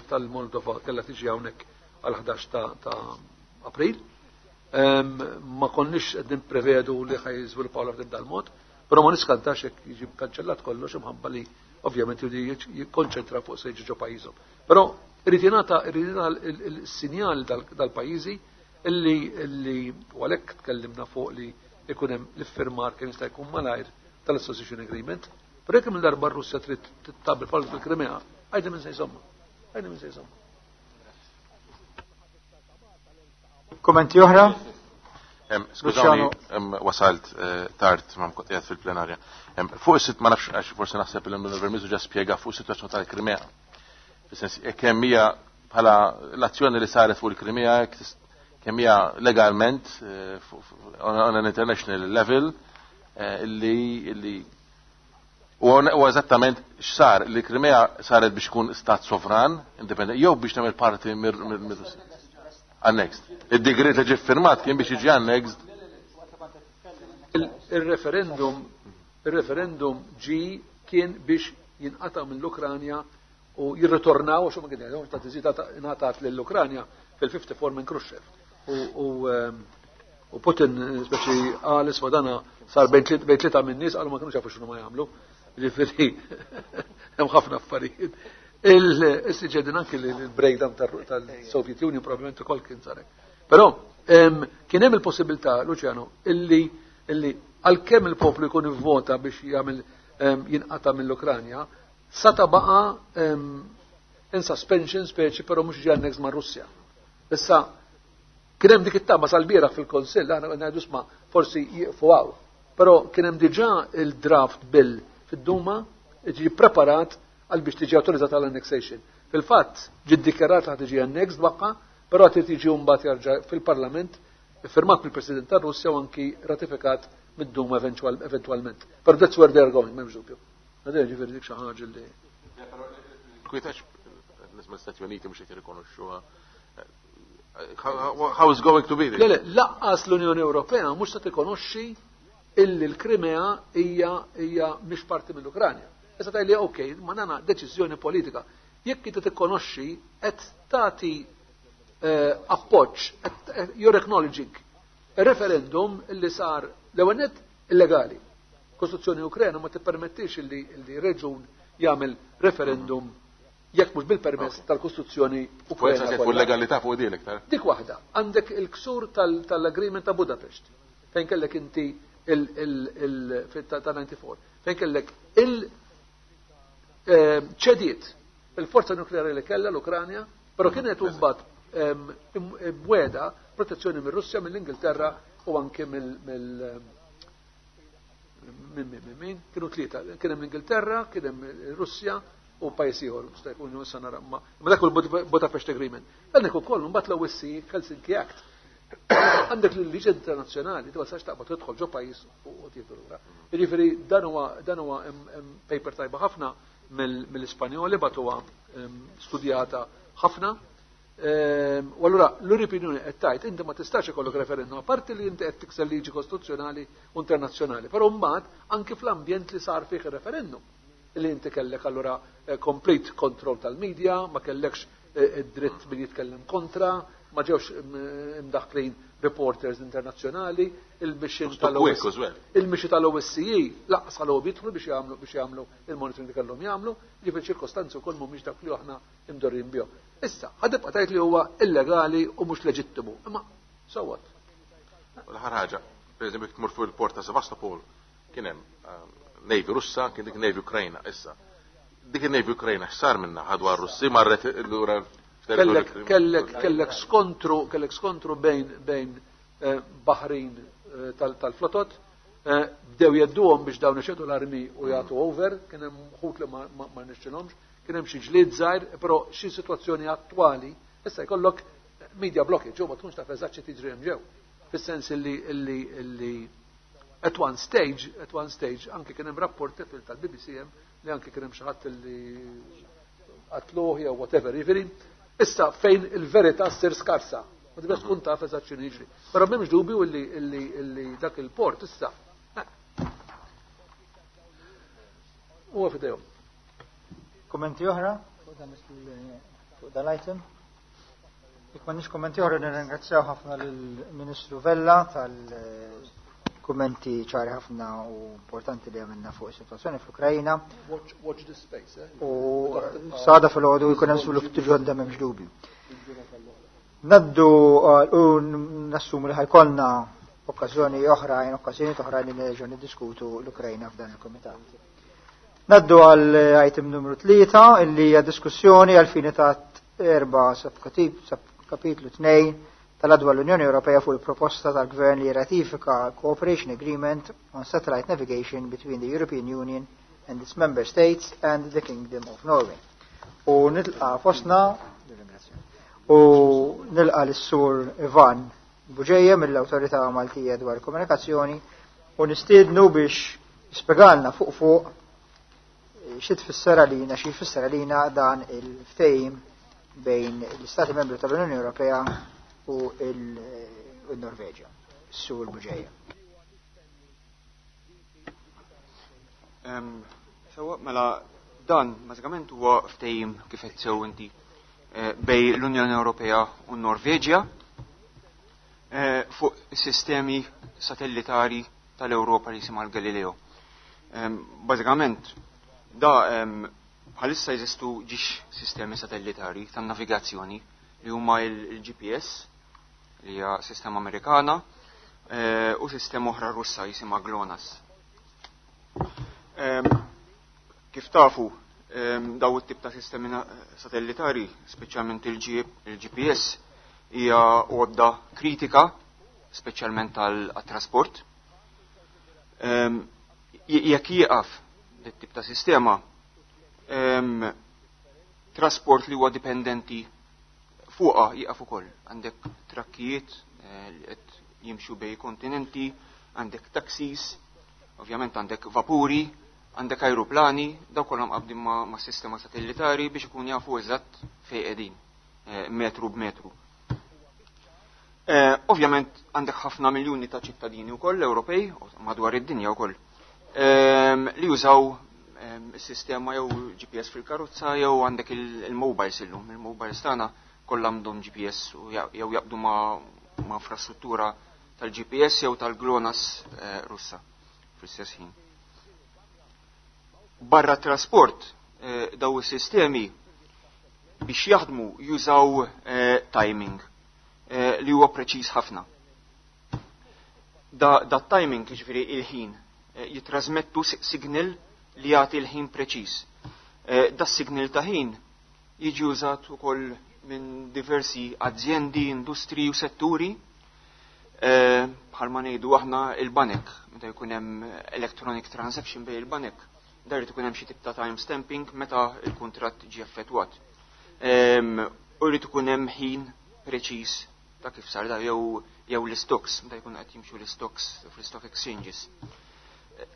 tal-Moldova kellha tiġi hawnhekk għal 11 ta' April. Ma konniex qed nipprevedu li ħaj jiżviluppaw l dal-mod, però ma niskantax jekk jiġi kanċellat kollox imħabba li ovvjament jikkonċentra fuq se jiġi ġo pajjiżhom. Però irid jingħata il-sinjal dal-pajjiżi illi u għalhekk tkellimna fuq li ikun hemm l-iffirmar kemm jista' jkun malajr tal-Association Agreement. Però jekk minn darba r-Russja trid tittabel bħal fil-Krimea, għajdi minn se jżomma. Għajdi minn se jżomma. Kommenti oħra? Skużawni, wasalt tard ma mkont qiegħed fil-plenarja. Fuq is-sit ma nafx għax forsi naħseb li l-Vermizu ġa spjega fuq is-sitwazzjoni tal-Krimea. Fis-sens kemm hija bħala l-azzjoni li saret fuq il-Krimea kemm hija legalment on an international level illi u eżattament x'sar li Krimea saret biex ikun stat sovran independent jew biex tagħmel parti mir annexed. Id-digrit li ġie firmat kien biex jiġi annexed. Il-referendum ġi kien biex jinqata' mill-Ukranja u jirritornaw għax huma kien jgħidu ta' tiżida ingħatat lill-Ukranja fil-54 minn Khrushchev. U Putin speċi qal isma' dana sar bejn tlieta minn nies qalu ma kinux jafu x'inhu ma jagħmlu. Ġifieri hemm ħafna affarijiet. Il-siġedin anki l-breakdown tal-Soviet Union probabbilment ukoll kien sarek. Però kien hemm il-possibilità, Luciano, illi għalkemm il-poplu jkun ivvota biex jagħmel jinqata' mill-Ukranja, sata baqa' in suspension speċi, però mhux ġie annex ma' Russja. Issa kien hemm dik it-tama sal-bieraħ fil-Konsill, aħna ngħidu sma' forsi jieqfu hawn. Però kien hemm diġà il-draft bill fid-Duma ġie preparat għal biex tiġi autorizzata l-annexation. Fil-fatt, ġi ddikjarat li tiġi annexed baqa, però trid tiġi mbagħad jarġa' fil-Parlament, firmat mill-President tar-Russja u anki ratifikat mid-Duma eventwalment. Però that's where they are going, m'hemmx dubju. Għadha ġifieri dik xi ħaġa li. Kwitax nisma' Stati Uniti mhux qed jirrikonoxxuha. How is going to be? Le, le, laqqas l-Unjoni Ewropea mhux se tikkonoxxi illi l-Krimea hija mhix parti mill-Ukranja. Issa tgħidli ok, ma nana deċiżjoni politika. Jekk inti tikkonoxxi qed tagħti appoġġ, you're acknowledging referendum illi sar l-ewwel nett illegali. Kostituzzjoni Ukrena ma tippermettix illi reġun jagħmel referendum jekk mhux bil-permess tal-Kostituzzjoni Ukrena. Fuq legalità fuq din iktar. Dik waħda, għandek il-ksur tal-Agreement ta' Budapest, fejn kellek inti ta' 94, fejn kellek il-ċediet il-forza nukleari li kellha l-Ukranja, però kienet imbagħad mweda protezzjoni mir-Russja, mill-Ingilterra u anke mill min kienu tlieta, kien hemm l-Ingilterra, kien hemm ir-Russja u pajjiż ieħor, jista' jkun issa nara ma dak il-Budapest Agreement. Għandek ukoll mbagħad l-OSCE Helsinki Act. Għandek l-liġi internazzjonali, ti ma taqbad tidħol ġo pajjiż u tieħdu lura. Jiġifieri dan huwa paper tajba ħafna mill-Ispanjoli batuha studjata ħafna. U allura l-European Union qed tgħid inti ma tistax ikollok referendum apparti li inti qed tikser liġi kostituzzjonali u internazzjonali, però mbagħad anki fl-ambjent li sar fih ir-referendum li inti kellek allura complete control tal-media, ma kellekx id-dritt min jitkellem kontra, ma ġewx imdaħklin reporters internazzjonali, il-mission tal-OSCE laqas għalhom jidħlu biex jagħmlu il-monitoring li kellhom jagħmlu, ġifieri ċirkostanzi wkoll mhumiex dak li aħna imdorrin bihom. Issa, ħadibqa' tgħid li huwa illegali u mhux leġittimu, imma so what? L-aħħar ħaġa, pereżempju tmur fuq il-port ta' Sevastopol, kien hemm Navy Russa, kien dik Navy Ukrajna issa. Dik il-Navy Ukrajna x'sar minnha ħadu għar-Russi marret lura Kellek skontru bejn Baħrin tal-flotot. Bdew jedduhom biex dawn iċedu l-armi u jagħtu over, kien hemm ħut li ma nixxilhomx, kien hemm xi ġlied żgħir, però xi sitwazzjoni attwali issa jkollok media blockage, u ma tkunx taf eżatt xi tiġri hemm ġew. Fis-sens illi at one stage anke kien hemm rapporti tal-BBC hemm li anke kien hemm xi ħadd li qatluh jew whatever, jiġifieri issa fejn il-verità ssir skarsa. Ma tibda tkun taf eżatt x'inhu jiġri. Però m'hemmx dubju illi dak il-port issa huwa f'idejhom. Kommenti oħra fuq dan l-item? Jekk m'għandniex kommenti oħra, nirringrazzjaw ħafna lill-Ministru Vella tal-kummenti ċari ħafna u importanti li għamilna fuq is-sitwazzjoni fl-Ukrajna. Watch, watch this space, eh? U s'għada filgħodu jkun hemm żvilupp ġodda, m'hemmx dubju. Ngħaddu u nassumu li ħa jkollna okkażjoni oħra, okkażjoni oħra li nerġgħu niddiskutu l-Ukrajna f'dan il-komitat. Ngħaddu għal item numru 3, illi hija diskussjoni għal fini ta' 4 kapitlu 2 tal-Att dwar l-Unjoni Ewropea fuq il-proposta tal-Gvern li ratifika Cooperation Agreement on Satellite Navigation between the European Union and its Member States and the Kingdom of Norway. U nilqa fostna u nilqa l-Sur Ivan Bugeja mill-Awtorità Maltija dwar Komunikazzjoni u nistiednu biex jispjegalna fuq fuq xi tfisser għalina, xi jfisser għalina dan il-ftehim bejn l-Istati Membri tal-Unjoni Ewropea u il-Norveġja. Sur Bugeja. Sewwa, mela dan bażikament huwa ftehim, kif qed sew inti, bejn l-Unjoni Ewropea u n-Norveġja fuq sistemi satellitari tal-Ewropa li jisimha l-Galileo. Bażikament da bħalissa jeżistu ġiex sistemi satellitari tan-navigazzjoni li huma il-GPS, li hija sistema Amerikana, u sistema oħra Russa jisimha GLONASS. Kif tafu, daw it-tip ta' sistemi satellitari, speċjalment il-GPS, hija għodda kritika, speċjalment għal-trasport. Jekk jieqaf dit-tip ta' sistema, trasport li huwa dipendenti fuqa jieqaf ukoll. Għandek trakkijiet li qed jimxu bejn kontinenti, għandek taxis, ovvjament għandek vapuri, għandek aeroplani, daw kollha mqabbdin ma' sistema satellitari biex ikun jafu eżatt fejn qegħdin, metru b'metru. Ovvjament għandek ħafna miljuni ta' ċittadini wkoll Ewropej u madwar id-dinja wkoll li jużaw is-sistema jew GPS fil-karozza jew għandek il-mobiles illum. Il-mobiles tagħna kollha għandhom GPS u jew jaqbdu ma' infrastruttura tal-GPS jew tal-GLONASS Russa fl-istess ħin. Barra trasport, daw is-sistemi biex jaħdmu jużaw timing li huwa preċiż ħafna. Da timing, jiġifieri il-ħin, jitrasmettu signal li jagħti l-ħin preċiż. Da signal ta' ħin jiġi użat ukoll minn diversi azjendi, industri u setturi, bħalma ngħidu aħna il-banek, meta jkun hemm electronic transaction bejn il-banek, dar irid ikun hemm xi tip ta' time stamping meta il-kuntratt ġie effettwat. U jrid ikun hemm ħin preċiż ta' kif sar da jew l-stocks, meta jkun qed jimxu l-stocks fl-stock exchanges.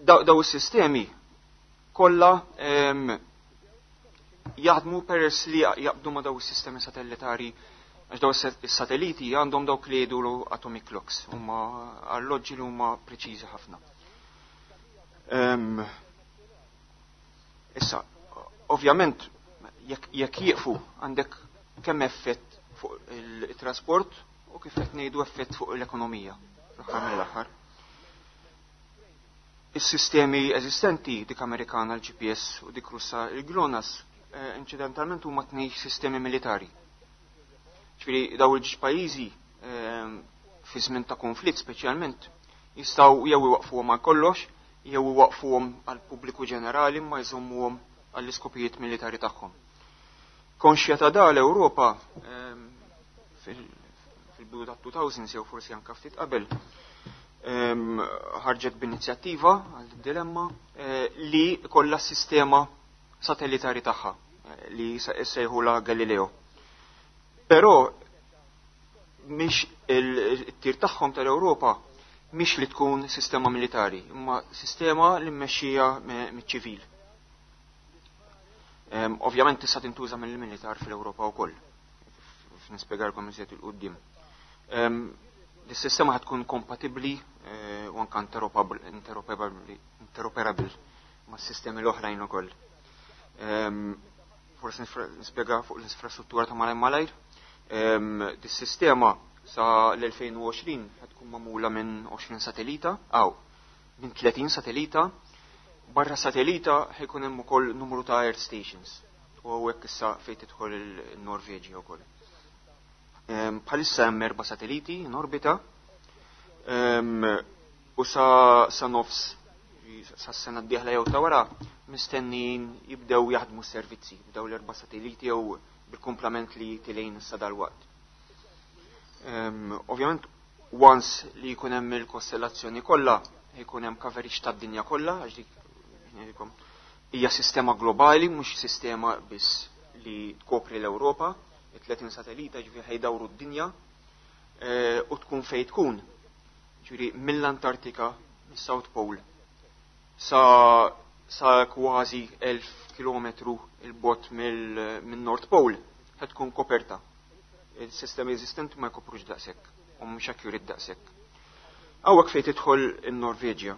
Daw is-sistemi kollha jaħdmu peress li jaqbdu ma' daw is-sistemi satellitari, għax daw is-satelliti għandhom dawk li jgħidu atomic clocks, huma arloġġi li huma preċiżi ħafna. Issa, ovvjament, jekk jieqfu għandek kemm effett fuq il-trasport u, kif qed ngħidu, effett fuq l-ekonomija fl-aħħar mill-aħħar. Is-sistemi eżistenti, dik Amerikana l-GPS u dik Russa il-GLONASS, incidentalment huma tnej sistemi militari. Ġifieri daw il-ġiex pajjiżi fi żmien ta' konflitt speċjalment jistgħu jew iwaqfuhom għal kollox jew iwaqfuhom għal pubbliku ġenerali ma jżommuhom għall-iskopijiet militari tagħhom. Konxja ta' da l-Ewropa fil-bidu ta' 2000 jew forsi anka ftit qabel. Ħarġet b'inizjattiva għal dilemma li kollha sistema satellitari tagħha li sejħula Galileo. Però mhix il-tir tagħhom tal-Ewropa mhix li tkun sistema militari, imma sistema li mmexxija miċ-ċivil. Ovvjament tista' tintuża mill-militar fl-Ewropa wkoll. Nispjegalkom iżjed 'il quddiem. Dis-sistema ħad tkun kompatibbli u anke interoperable ma' sistemi l-oħrajn ukoll. Forsi nispjega fuq l-infrastruttura ta' malajr malajr. Dis-sistema sa l-2020 ħad tkun magħmula minn 20 satellita, aw, minn 30 satellita. Barra satellita ħajkun hemm ukoll numru ta' earth stations. U hawnhekk issa fejn tidħol il-Norveġja wkoll. Bħalissa hemm erba' satelliti in orbita u sa nofs sa sena d-dieħla jew ta' wara mistennijin jibdew jaħdmu s-servizzi b'daw l-erba' satelliti jew bil-kumplament li tilejn issa dal-waqt. Ovvjament once li jkun hemm il-kostellazzjoni kollha, jkun hemm coverage tad-dinja kollha, għax dik ngħidilkom hija sistema globali, mhux sistema biss li tkopri l-Ewropa, 30 satellita ġifieri ħajdawru d-dinja u tkun fejn tkun. Ġifieri mill-Antartika, mis-South Pole, sa kważi 1000 kilometru il-bot mill-North Pole ħad tkun koperta. Il-sistemi eżistenti ma jkoprux daqshekk u mhux accurate daqshekk. Hawnhekk fejn tidħol in-Norveġja.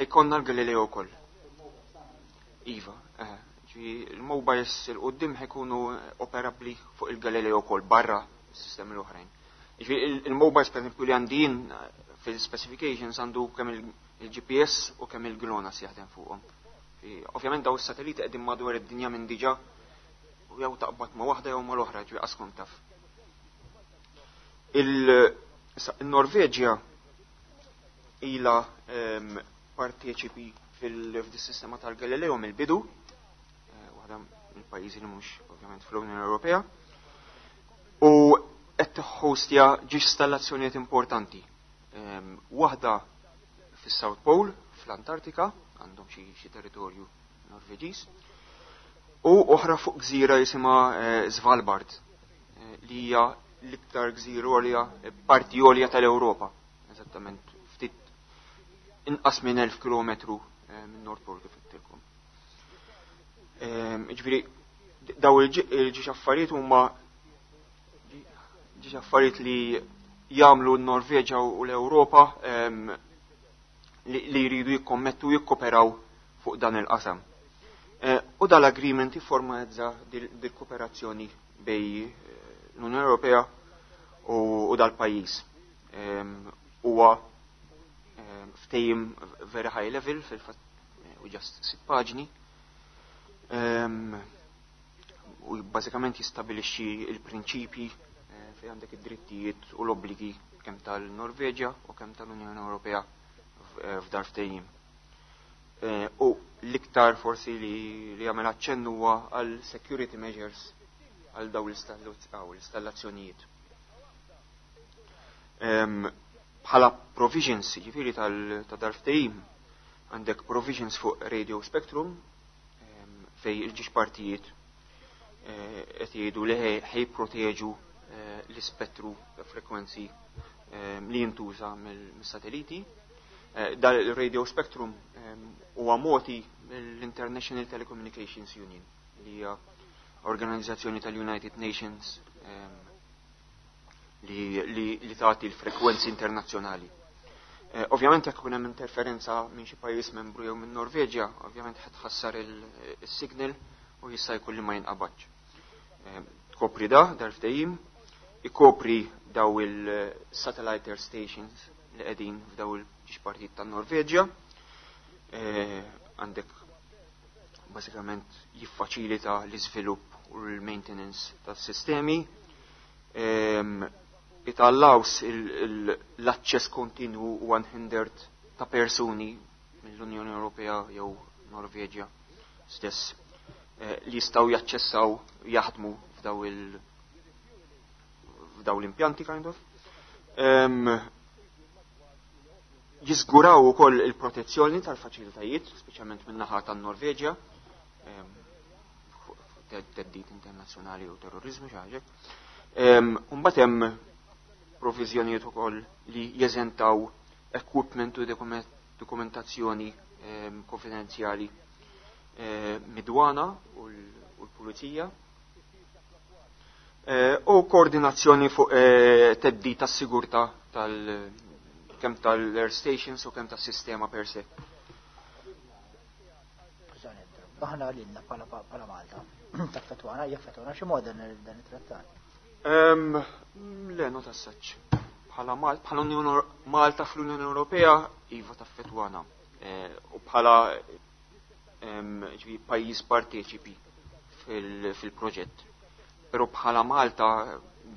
Ħajkonna l-Galileo wkoll. Iva, il-mobiles il-qoddim ħajkunu operabbli fuq il-Galileo wkoll barra s-sistemi l-oħrajn. Il-mobiles per esempio li għandin fil-specifications għandu kemm il-GPS u kemm il-GLONASS jaħdem fuqhom. Ovvjament daw is-satelliti qegħdin madwar id-dinja minn diġà u jew taqbad ma' waħda jew ma' l-oħra, ġifieri qas taf. Il-Norveġja ila parteċipi fil-sistema tal-Galileo mill-bidu, waħda mill-pajjiżi li mhux ovvjament fl-Unjoni Ewropea, u qed tiħħostja ġiex installazzjonijiet importanti. Waħda fis-South Pole, fl-Antartika, għandhom xi territorju Norveġiż, u oħra fuq gżira jisimha Svalbard, li hija l-iktar gżira għolja, parti għolja tal-Ewropa, eżattament ftit inqas minn 1000 kilometru minn Nord Pole kif għedtilkom. Ġifieri daw il-ġiex affarijiet huma ġiex affarijiet li jagħmlu n-Norveġa u l-Ewropa li jridu jikkommettu jikkoperaw fuq dan il-qasam. U dal-agreement jifformalizza dil-kooperazzjoni bej l-Unjoni Ewropea u dal-pajjiż. Huwa ftehim very high level, fil-fatt u just 6 paġni. U bażikament jistabilixxi il-prinċipji fejn għandek id-drittijiet u l-obbligi kemm tal-Norveġja u kemm tal-Unjoni Ewropea f'dar ftehim. U l-iktar forsi li jagħmel aċċenn huwa għal security measures għal daw l-installazzjonijiet. Bħala provisions, ġifieri ta' dal-ftehim, għandek provisions fuq radio spectrum, fej il-ġiex partijiet qed jgħidu li ħejproteġu l-ispettru ta' frekwenzi li jintuża mill-satelliti. Dal radio spectrum huwa moti mill-International Telecommunications Union, li hija organizzazzjoni tal-United Nations li tagħti l-frekwenzi internazzjonali. Ovvjament jekk ikun hemm interferenza minn xi pajjiż membru jew minn Norveġja, ovvjament ħadd tħassar il-signal u jista' jkun li ma jinqabadx. Tkopri da dal-ftehim, ikopri daw il-satellite earth stations li qegħdin f'daw il-ġiex partit tan-Norveġja. Għandek bażikament jiffaċilita l-iżvilupp u l-maintenance tas-sistemi. It allows l-aċċess kontinu u unhindered ta' persuni mill-Unjoni Ewropea jew Norveġja stess li jistgħu jaċċessaw jaħdmu f'daw l-impjanti kind of. Jiżguraw ukoll il-protezzjoni tal-faċilitajiet, speċjalment min-naħa tan-Norveġja, theddid internazzjonali u terrorizmu xi ħaġa. Mbagħad hemm proviżjonijiet ukoll li jeżentaw equipment u dokumentazzjoni konfidenzjali mid-dwana u l-pulizija. U koordinazzjoni fuq theddid tas-sigurtà tal kemm tal-air stations u kemm tas-sistema per se. Aħna lilna bħala Malta, taffettwana, jaffettwana xi mod dan it-trattat? Le, not as such. Bħala bħala Unjoni Malta fl-Unjoni Ewropea, iva, taffettwana. U bħala ġifieri pajjiż parteċipi fil-proġett. Però bħala Malta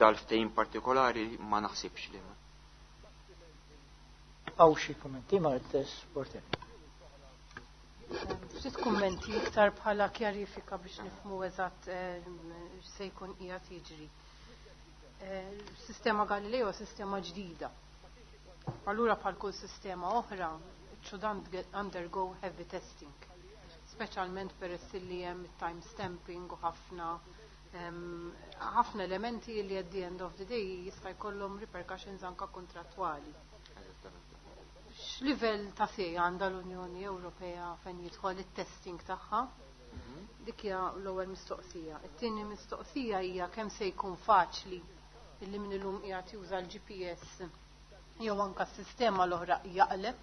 dal-ftehim partikolari ma naħsibx li. Hawn xi kummenti ma' Portelli? Ftit kummenti iktar bħala kjarifika biex nifhmu eżatt se jkun qiegħed jiġri. Sistema Galileo, sistema ġdida. Allura bħal kull sistema oħra, it should undergo heavy testing. Speċjalment peress li hemm time stamping u ħafna elementi li at the end of the day jista' jkollhom repercussions anka kontrattwali. X'livell ta' sej għandha l-Unjoni Ewropea fejn jidħol it-testing tagħha? Dik hija l-ewwel mistoqsija. It-tieni mistoqsija hija kemm se jkun faċli illi min illum qiegħed juża l-GPS jew anka s-sistema l-oħra jaqleb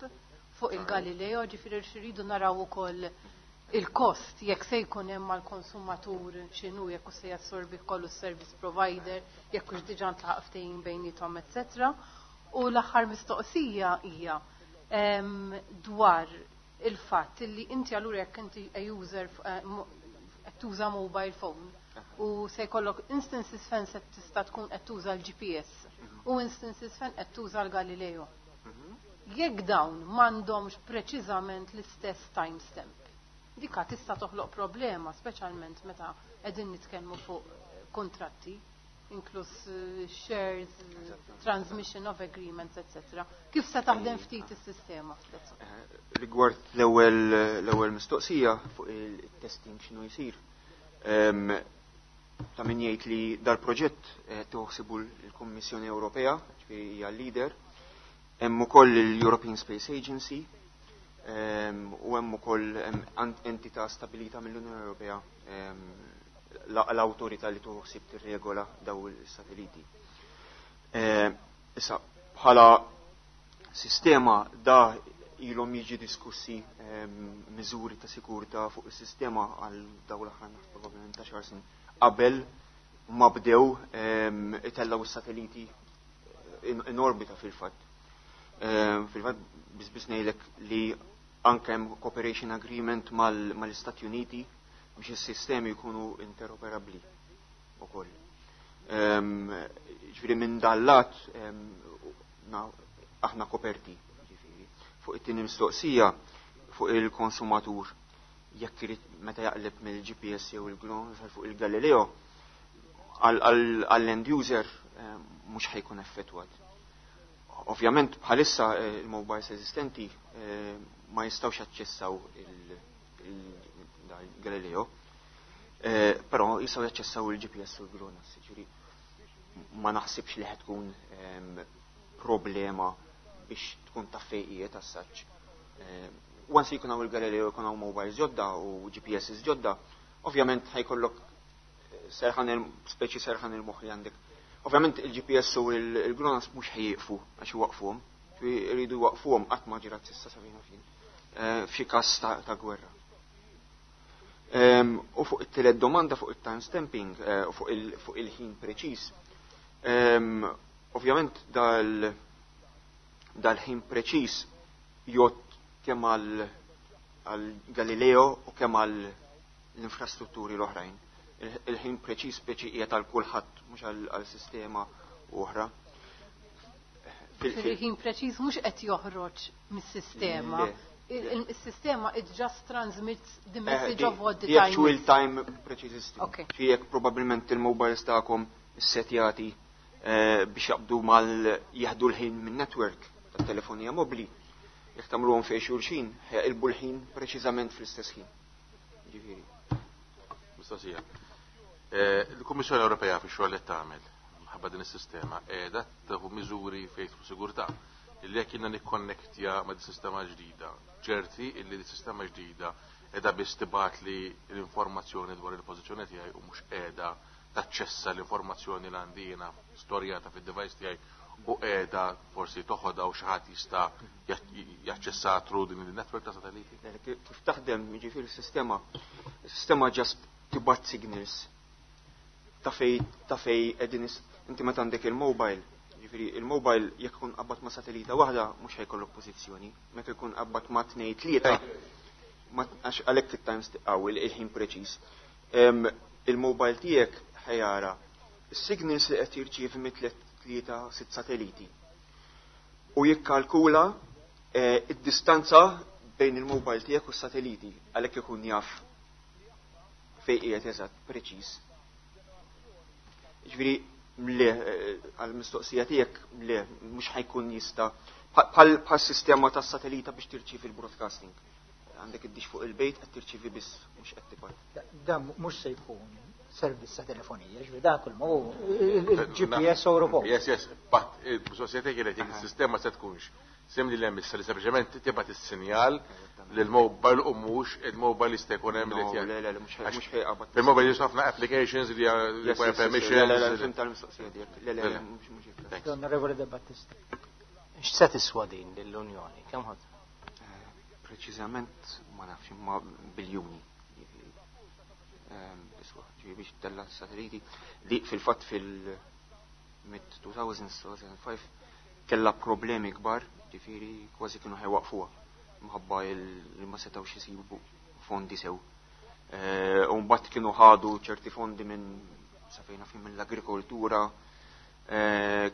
fuq il-Galileo, ġifieri rridu naraw ukoll il-kost jekk se jkun hemm mal-konsumatur x'inhu, jekk se jassorbi kollu service provider, jekk hux diġà ntlaħaq ftehim bejniethom, etc. U l-aħħar mistoqsija hija dwar il-fatt li inti allura jekk inti a user qed tuża mobile phone u se jkollok instances fejn se tista' tkun qed tuża l-GPS u instances fejn qed tuża l-Galileo. Jekk dawn m'għandhomx preċiżament l-istess timestamp, dika tista' toħloq problema, speċjalment meta qegħdin nitkellmu fuq kontratti, inkluż shares, transmission of agreements, etc. Kif se taħdem ftit is-sistema? Rigward l-ewwel mistoqsija fuq il-testing x'inhu jsir. Ta' min jgħid li dal-proġett toħsibu l-Kummissjoni Ewropea, ġifieri hija leader, hemm ukoll l-European Space Agency u hemm ukoll entità stabilita mill-Unjoni Ewropea, l-awtorità li toħsib tirregola daw il-satelliti. Issa, bħala sistema da ilhom jiġi diskussi miżuri ta' sikurtà fuq is-sistema għal daw l-aħħar probabbilment ta' xar snin qabel ma bdew itellaw is-satelliti in orbita fil-fatt. Fil-fatt biss ngħidlek li anke hemm cooperation agreement mal-Istati Uniti biex is-sistemi jkunu interoperabbli ukoll. Ġifieri minn dal-lat aħna koperti. Ġifieri. Fuq it-tieni mistoqsija fuq il-konsumatur jekk irid meta jaqleb mill-GPS jew il-GLONASS fuq il-Galileo, għall-end user mhux ħa jkun effettwat. Ovvjament bħalissa il-mobiles eżistenti ma jistgħux jaċċessaw il-Galileo, però jistgħu jaċċessaw il-GPS u l-GLONASS. Ġifieri ma naħsibx li ħa tkun problema biex tkun ta' fejqijiet as such. Once jkun hawn il-Galileo, jkun hawn mobiles ġodda u GPS ġodda, ovvjament ħa jkollok serħan il speċi serħan il-moħħ li għandek. Ovvjament il-GPS u il-GLONASS mhux ħa jieqfu għax waqfuhom, jridu waqfuhom, qatt ma ġrat s'issa sa fejn fin. F'xi każ ta' gwerra. U fuq it-tielet domanda fuq il-time stamping, u fuq il-ħin preċiż. Ovvjament dal-ħin preċiż jgħodd kemm għal Galileo u kemm għal l-infrastrutturi l-oħrajn. Il-ħin preċiż speċi qiegħed għal kulħadd, mhux għal sistema oħra. Il-ħin preċiż mhux qed joħroġ mis-sistema. Il-sistema, it just transmits the message of what the the time actual is. Time precise system. Okay. Fi jekk probabbilment il-mobiles tagħkom issetjati. Biex jaqbdu mal jieħdu l-ħin minn network tat-telefonija mobbli, jekk tagħmluhom fejn xulxin, jaqilbu l-ħin preċiżament fl-istess ħin. Ġifieri. Mistoqsija. Il-Kummissjoni Ewropea fix-xogħol li tagħmel minħabba din is-sistema qiegħda tieħu miżuri fejn tidħol sigurtà illi jekk jiena nikkonnektja ma' din sistema ġdida, ċerti illi din sistema ġdida qiegħda biss tibgħatli l-informazzjoni dwar il-pożizzjoni tiegħi u mhux qiegħda taċċessa l-informazzjoni li għandi jiena storjata fid-device tiegħi u qiegħda forsi toħodha u xi ħadd jista' jaċċessa through din il-network ta' satelliti? Kif taħdem, jiġifieri s-sistema, is-sistema just tibgħat signals ta' fej qegħdin. Inti meta għandek il-mobile, jiġifieri il-mobile jekk ikun qabad ma' satellita waħda mhux ħajkollok pożizzjoni, meta jkun qabad ma' tnej, tlieta, għax għalhekk it-times għaw il-ħin preċiż. Il-mobile tiegħek ħajara is-signals li qed jirċievi mit tlieta, sitt satelliti u jikkalkula id-distanza bejn il-mobile tiegħek u s-satelliti, għalhekk ikun jaf fejn qiegħed eżatt preċiż. Ġifieri le, għall-mistoqsija tiegħek, le, mhux ħajkun jista' bħal sistema tas satellita biex tirċievi l-broadcasting. Għandek id-dish fuq il-bejt, qed tirċievi biss, mhux qed tibgħat. Dan mhux se jkun servizz ta' telefonija, ġifieri dan kull ma hu il-GPS Ewropew. Yes, but il-mistoqsija tiegħi kienet jekk is-sistema se tkunx simili li hemm issa li sempliċement tibgħat is-sinjal lill-mobile u mhux il-mobile jista' jkun hemm li No, le, mhux ħejqabad. Il-mobile juża ħafna applications li require Le, le, le, permissions. Fhimt tal-mistoqsija tiegħek. Le, mhux hekk. Thanks. L-Onorevoli De Battista. X'se tiswa din lill-Unjoni? Kemm ħadd? Preċiżament ma nafx, imma biljuni. Iswa, ġifieri biex tella satelliti li fil-fatt fil-mid 2000, 2005 kella problemi kbar, ġifieri kważi kienu ħajwaqfuha minħabba li ma setgħux isibu fondi sew. U mbagħad kienu ħadu ċerti fondi minn sa fejna fin mill-agrikoltura,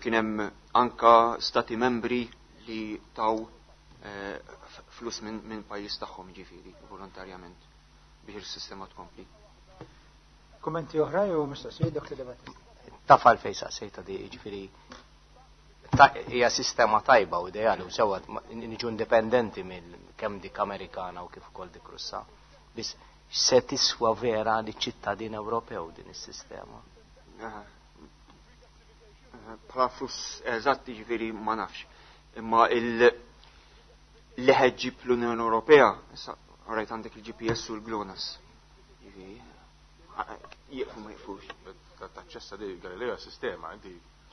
kien hemm anka stati membri li taw flus minn pajjiż tagħhom, ġifieri volontarjament, biex il-sistema tkompli. Kummenti oħra jew mistoqsijiet, Dr. De Battista? Tafal fej saqsejta di, ġifieri hija sistema tajba u ideali u sewwa niġu indipendenti mill kemm dik Amerikana u kif ukoll dik Russa. Biss se tiswa vera li ċittadin Ewropew din is-sistema? Aha. Bħala flus eżatti ġifieri ma nafx. Imma il li ħeġġib l-Unjoni Ewropea, issa rajt għandek il-GPS u l-GLONASS. Ġifieri, jieqfu ma jieqfux. Taċċessa di Galileo sistema, inti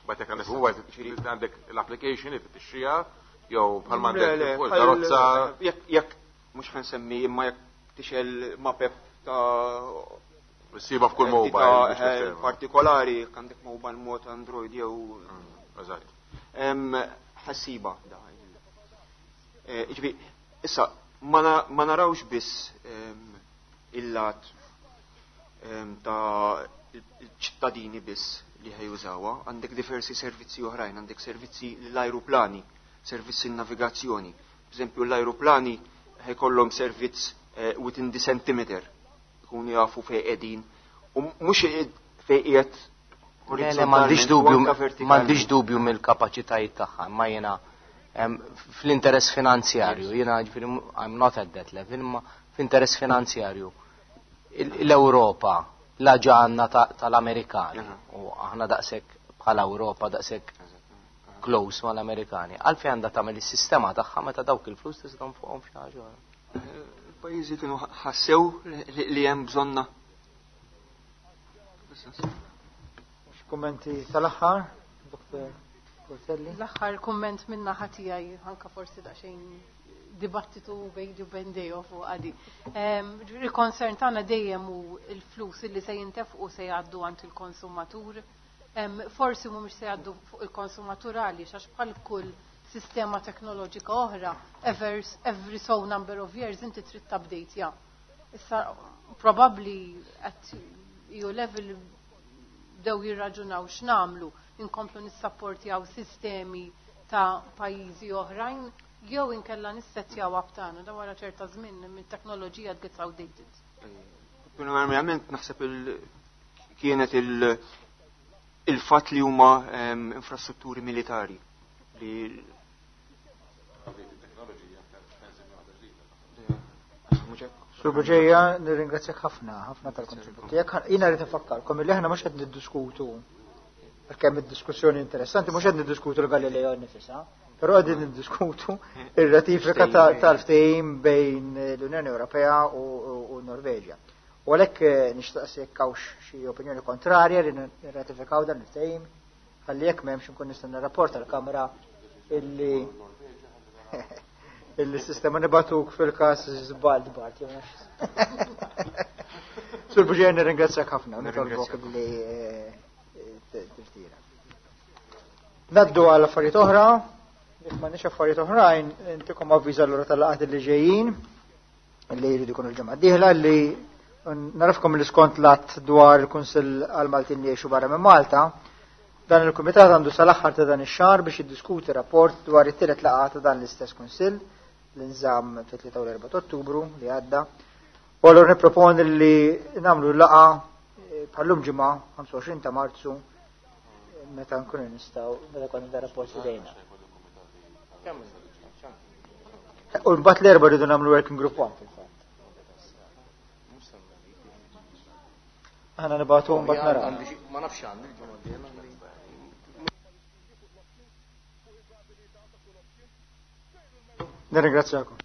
batek għandek mobile, għandek l-application li tixtriha jew bħal Le, m'għandek le, fuq il-karozza. Jekk mhux ħansemmi, imma jekk tixgħel mapep ta' Ssiba f'kull entità, mobile, biex tifhem. partikolari, jekk għandek mobile mod Android jew ħassiba da. Ġifieri, issa ma narawx biss il-lat ta' il-ċittadini biss li ħajużawha, għandek diversi servizzi oħrajn, għandek servizzi l-ajruplani, servizzi navigazzjoni. Per eżempju, l-ajruplani ħajkollhom servizz within the centimeter, ikunu jafu fejn qegħdin u mhux fejn qiegħed Le, m'għandix orizzontalment u dubju, anka vertikalment. M'għandix dubju mill-kapaċitajiet tagħha, imma jiena fl-interess finanzjarju, jiena ġifieri I'm not at that level, imma fl-interess finanzjarju. L-Ewropa la ġanna tal-Amerikani u aħna daqshekk bħala Ewropa daqshekk close mal-Amerikani. Għalfejn għandha tagħmel is-sistema tagħha meta dawk il-flus tista' fuqhom f'xi ħaġa oħra? Il-pajjiżi kienu ħassew li hemm bżonna. Kummenti tal-aħħar, Dr. Portelli? L-aħħar kumment minna tiegħi, anka forsi daqsxejn dibattitu bejni u bejn Deo fuq għadi. Il-concern tagħna dejjem hu il-flus li se jintefqu se jgħaddu għand il-konsumatur. Forsi mhumiex se jgħaddu fuq il-konsumatur għaliex għax bħal kull sistema teknoloġika oħra, every so number of years inti trid update ja. Issa probably at EU level bdew jirraġunaw x'namlu, inkomplu nissapportjaw sistemi ta' pajjiżi oħrajn jew inkella nissettjaw tagħna da wara ċerta żmien mit-teknoloġija gets outdated. Primarjament naħseb kienet Il-fatt li huma infrastrutturi militari li Sur Buġeja, nirringrazzjak ħafna, ħafna tal-kontribut tiegħek. Jiena rrid infakkarkom illi aħna mhux qed niddiskutu għalkemm id-diskussjoni interessanti, mhux qed niddiskutu l-Galileo nnifisha, però qegħdin niddiskutu ir-ratifika tal-ftehim bejn l-Unjoni Ewropea u Norveġja. U għalhekk eh, nixtaqsi jekk hawnx xi opinjoni kontrarja li nirratifikaw dan il-ftehim, ħalli jekk m'hemmx inkun nista' nirrapport għall-Kamra illi illi sistema nibatuk fil-każ żball bart jew Sur Buġer nirringrazzjak ħafna, nitolbok li eh, tirtira. Naddu għal affarijiet oħra, jekk m'għandniex affarijiet oħrajn, intikom avviż allura tal-laqgħat li ġejjin li jridu jkunu l-ġimgħa d-dieħla li narafkom li skont l-att dwar il-Kunsill għal Maltin li jgħixu barra minn Malta, dan il-Kumitat għandu sal-aħħar ta' dan ix-xahar biex jiddiskuti rapport dwar it-tielet laqgħa ta' dan l-istess Kunsill li nżamm fit-3 u l-4 Ottubru li għadda. U allura nipproponi li nagħmlu laqgħa eh, bħallum ġimgħa 25 ta' Marzu meta nkunu nistgħu meta konna da rapport fidejna. U mbagħad l-erba' rridu nagħmlu working group one fil-fatt. Aħna nibgħatu mbagħad naraw. Ma nafx għandi l-ġimgħa d-dieħla. Nirringrazzjakom.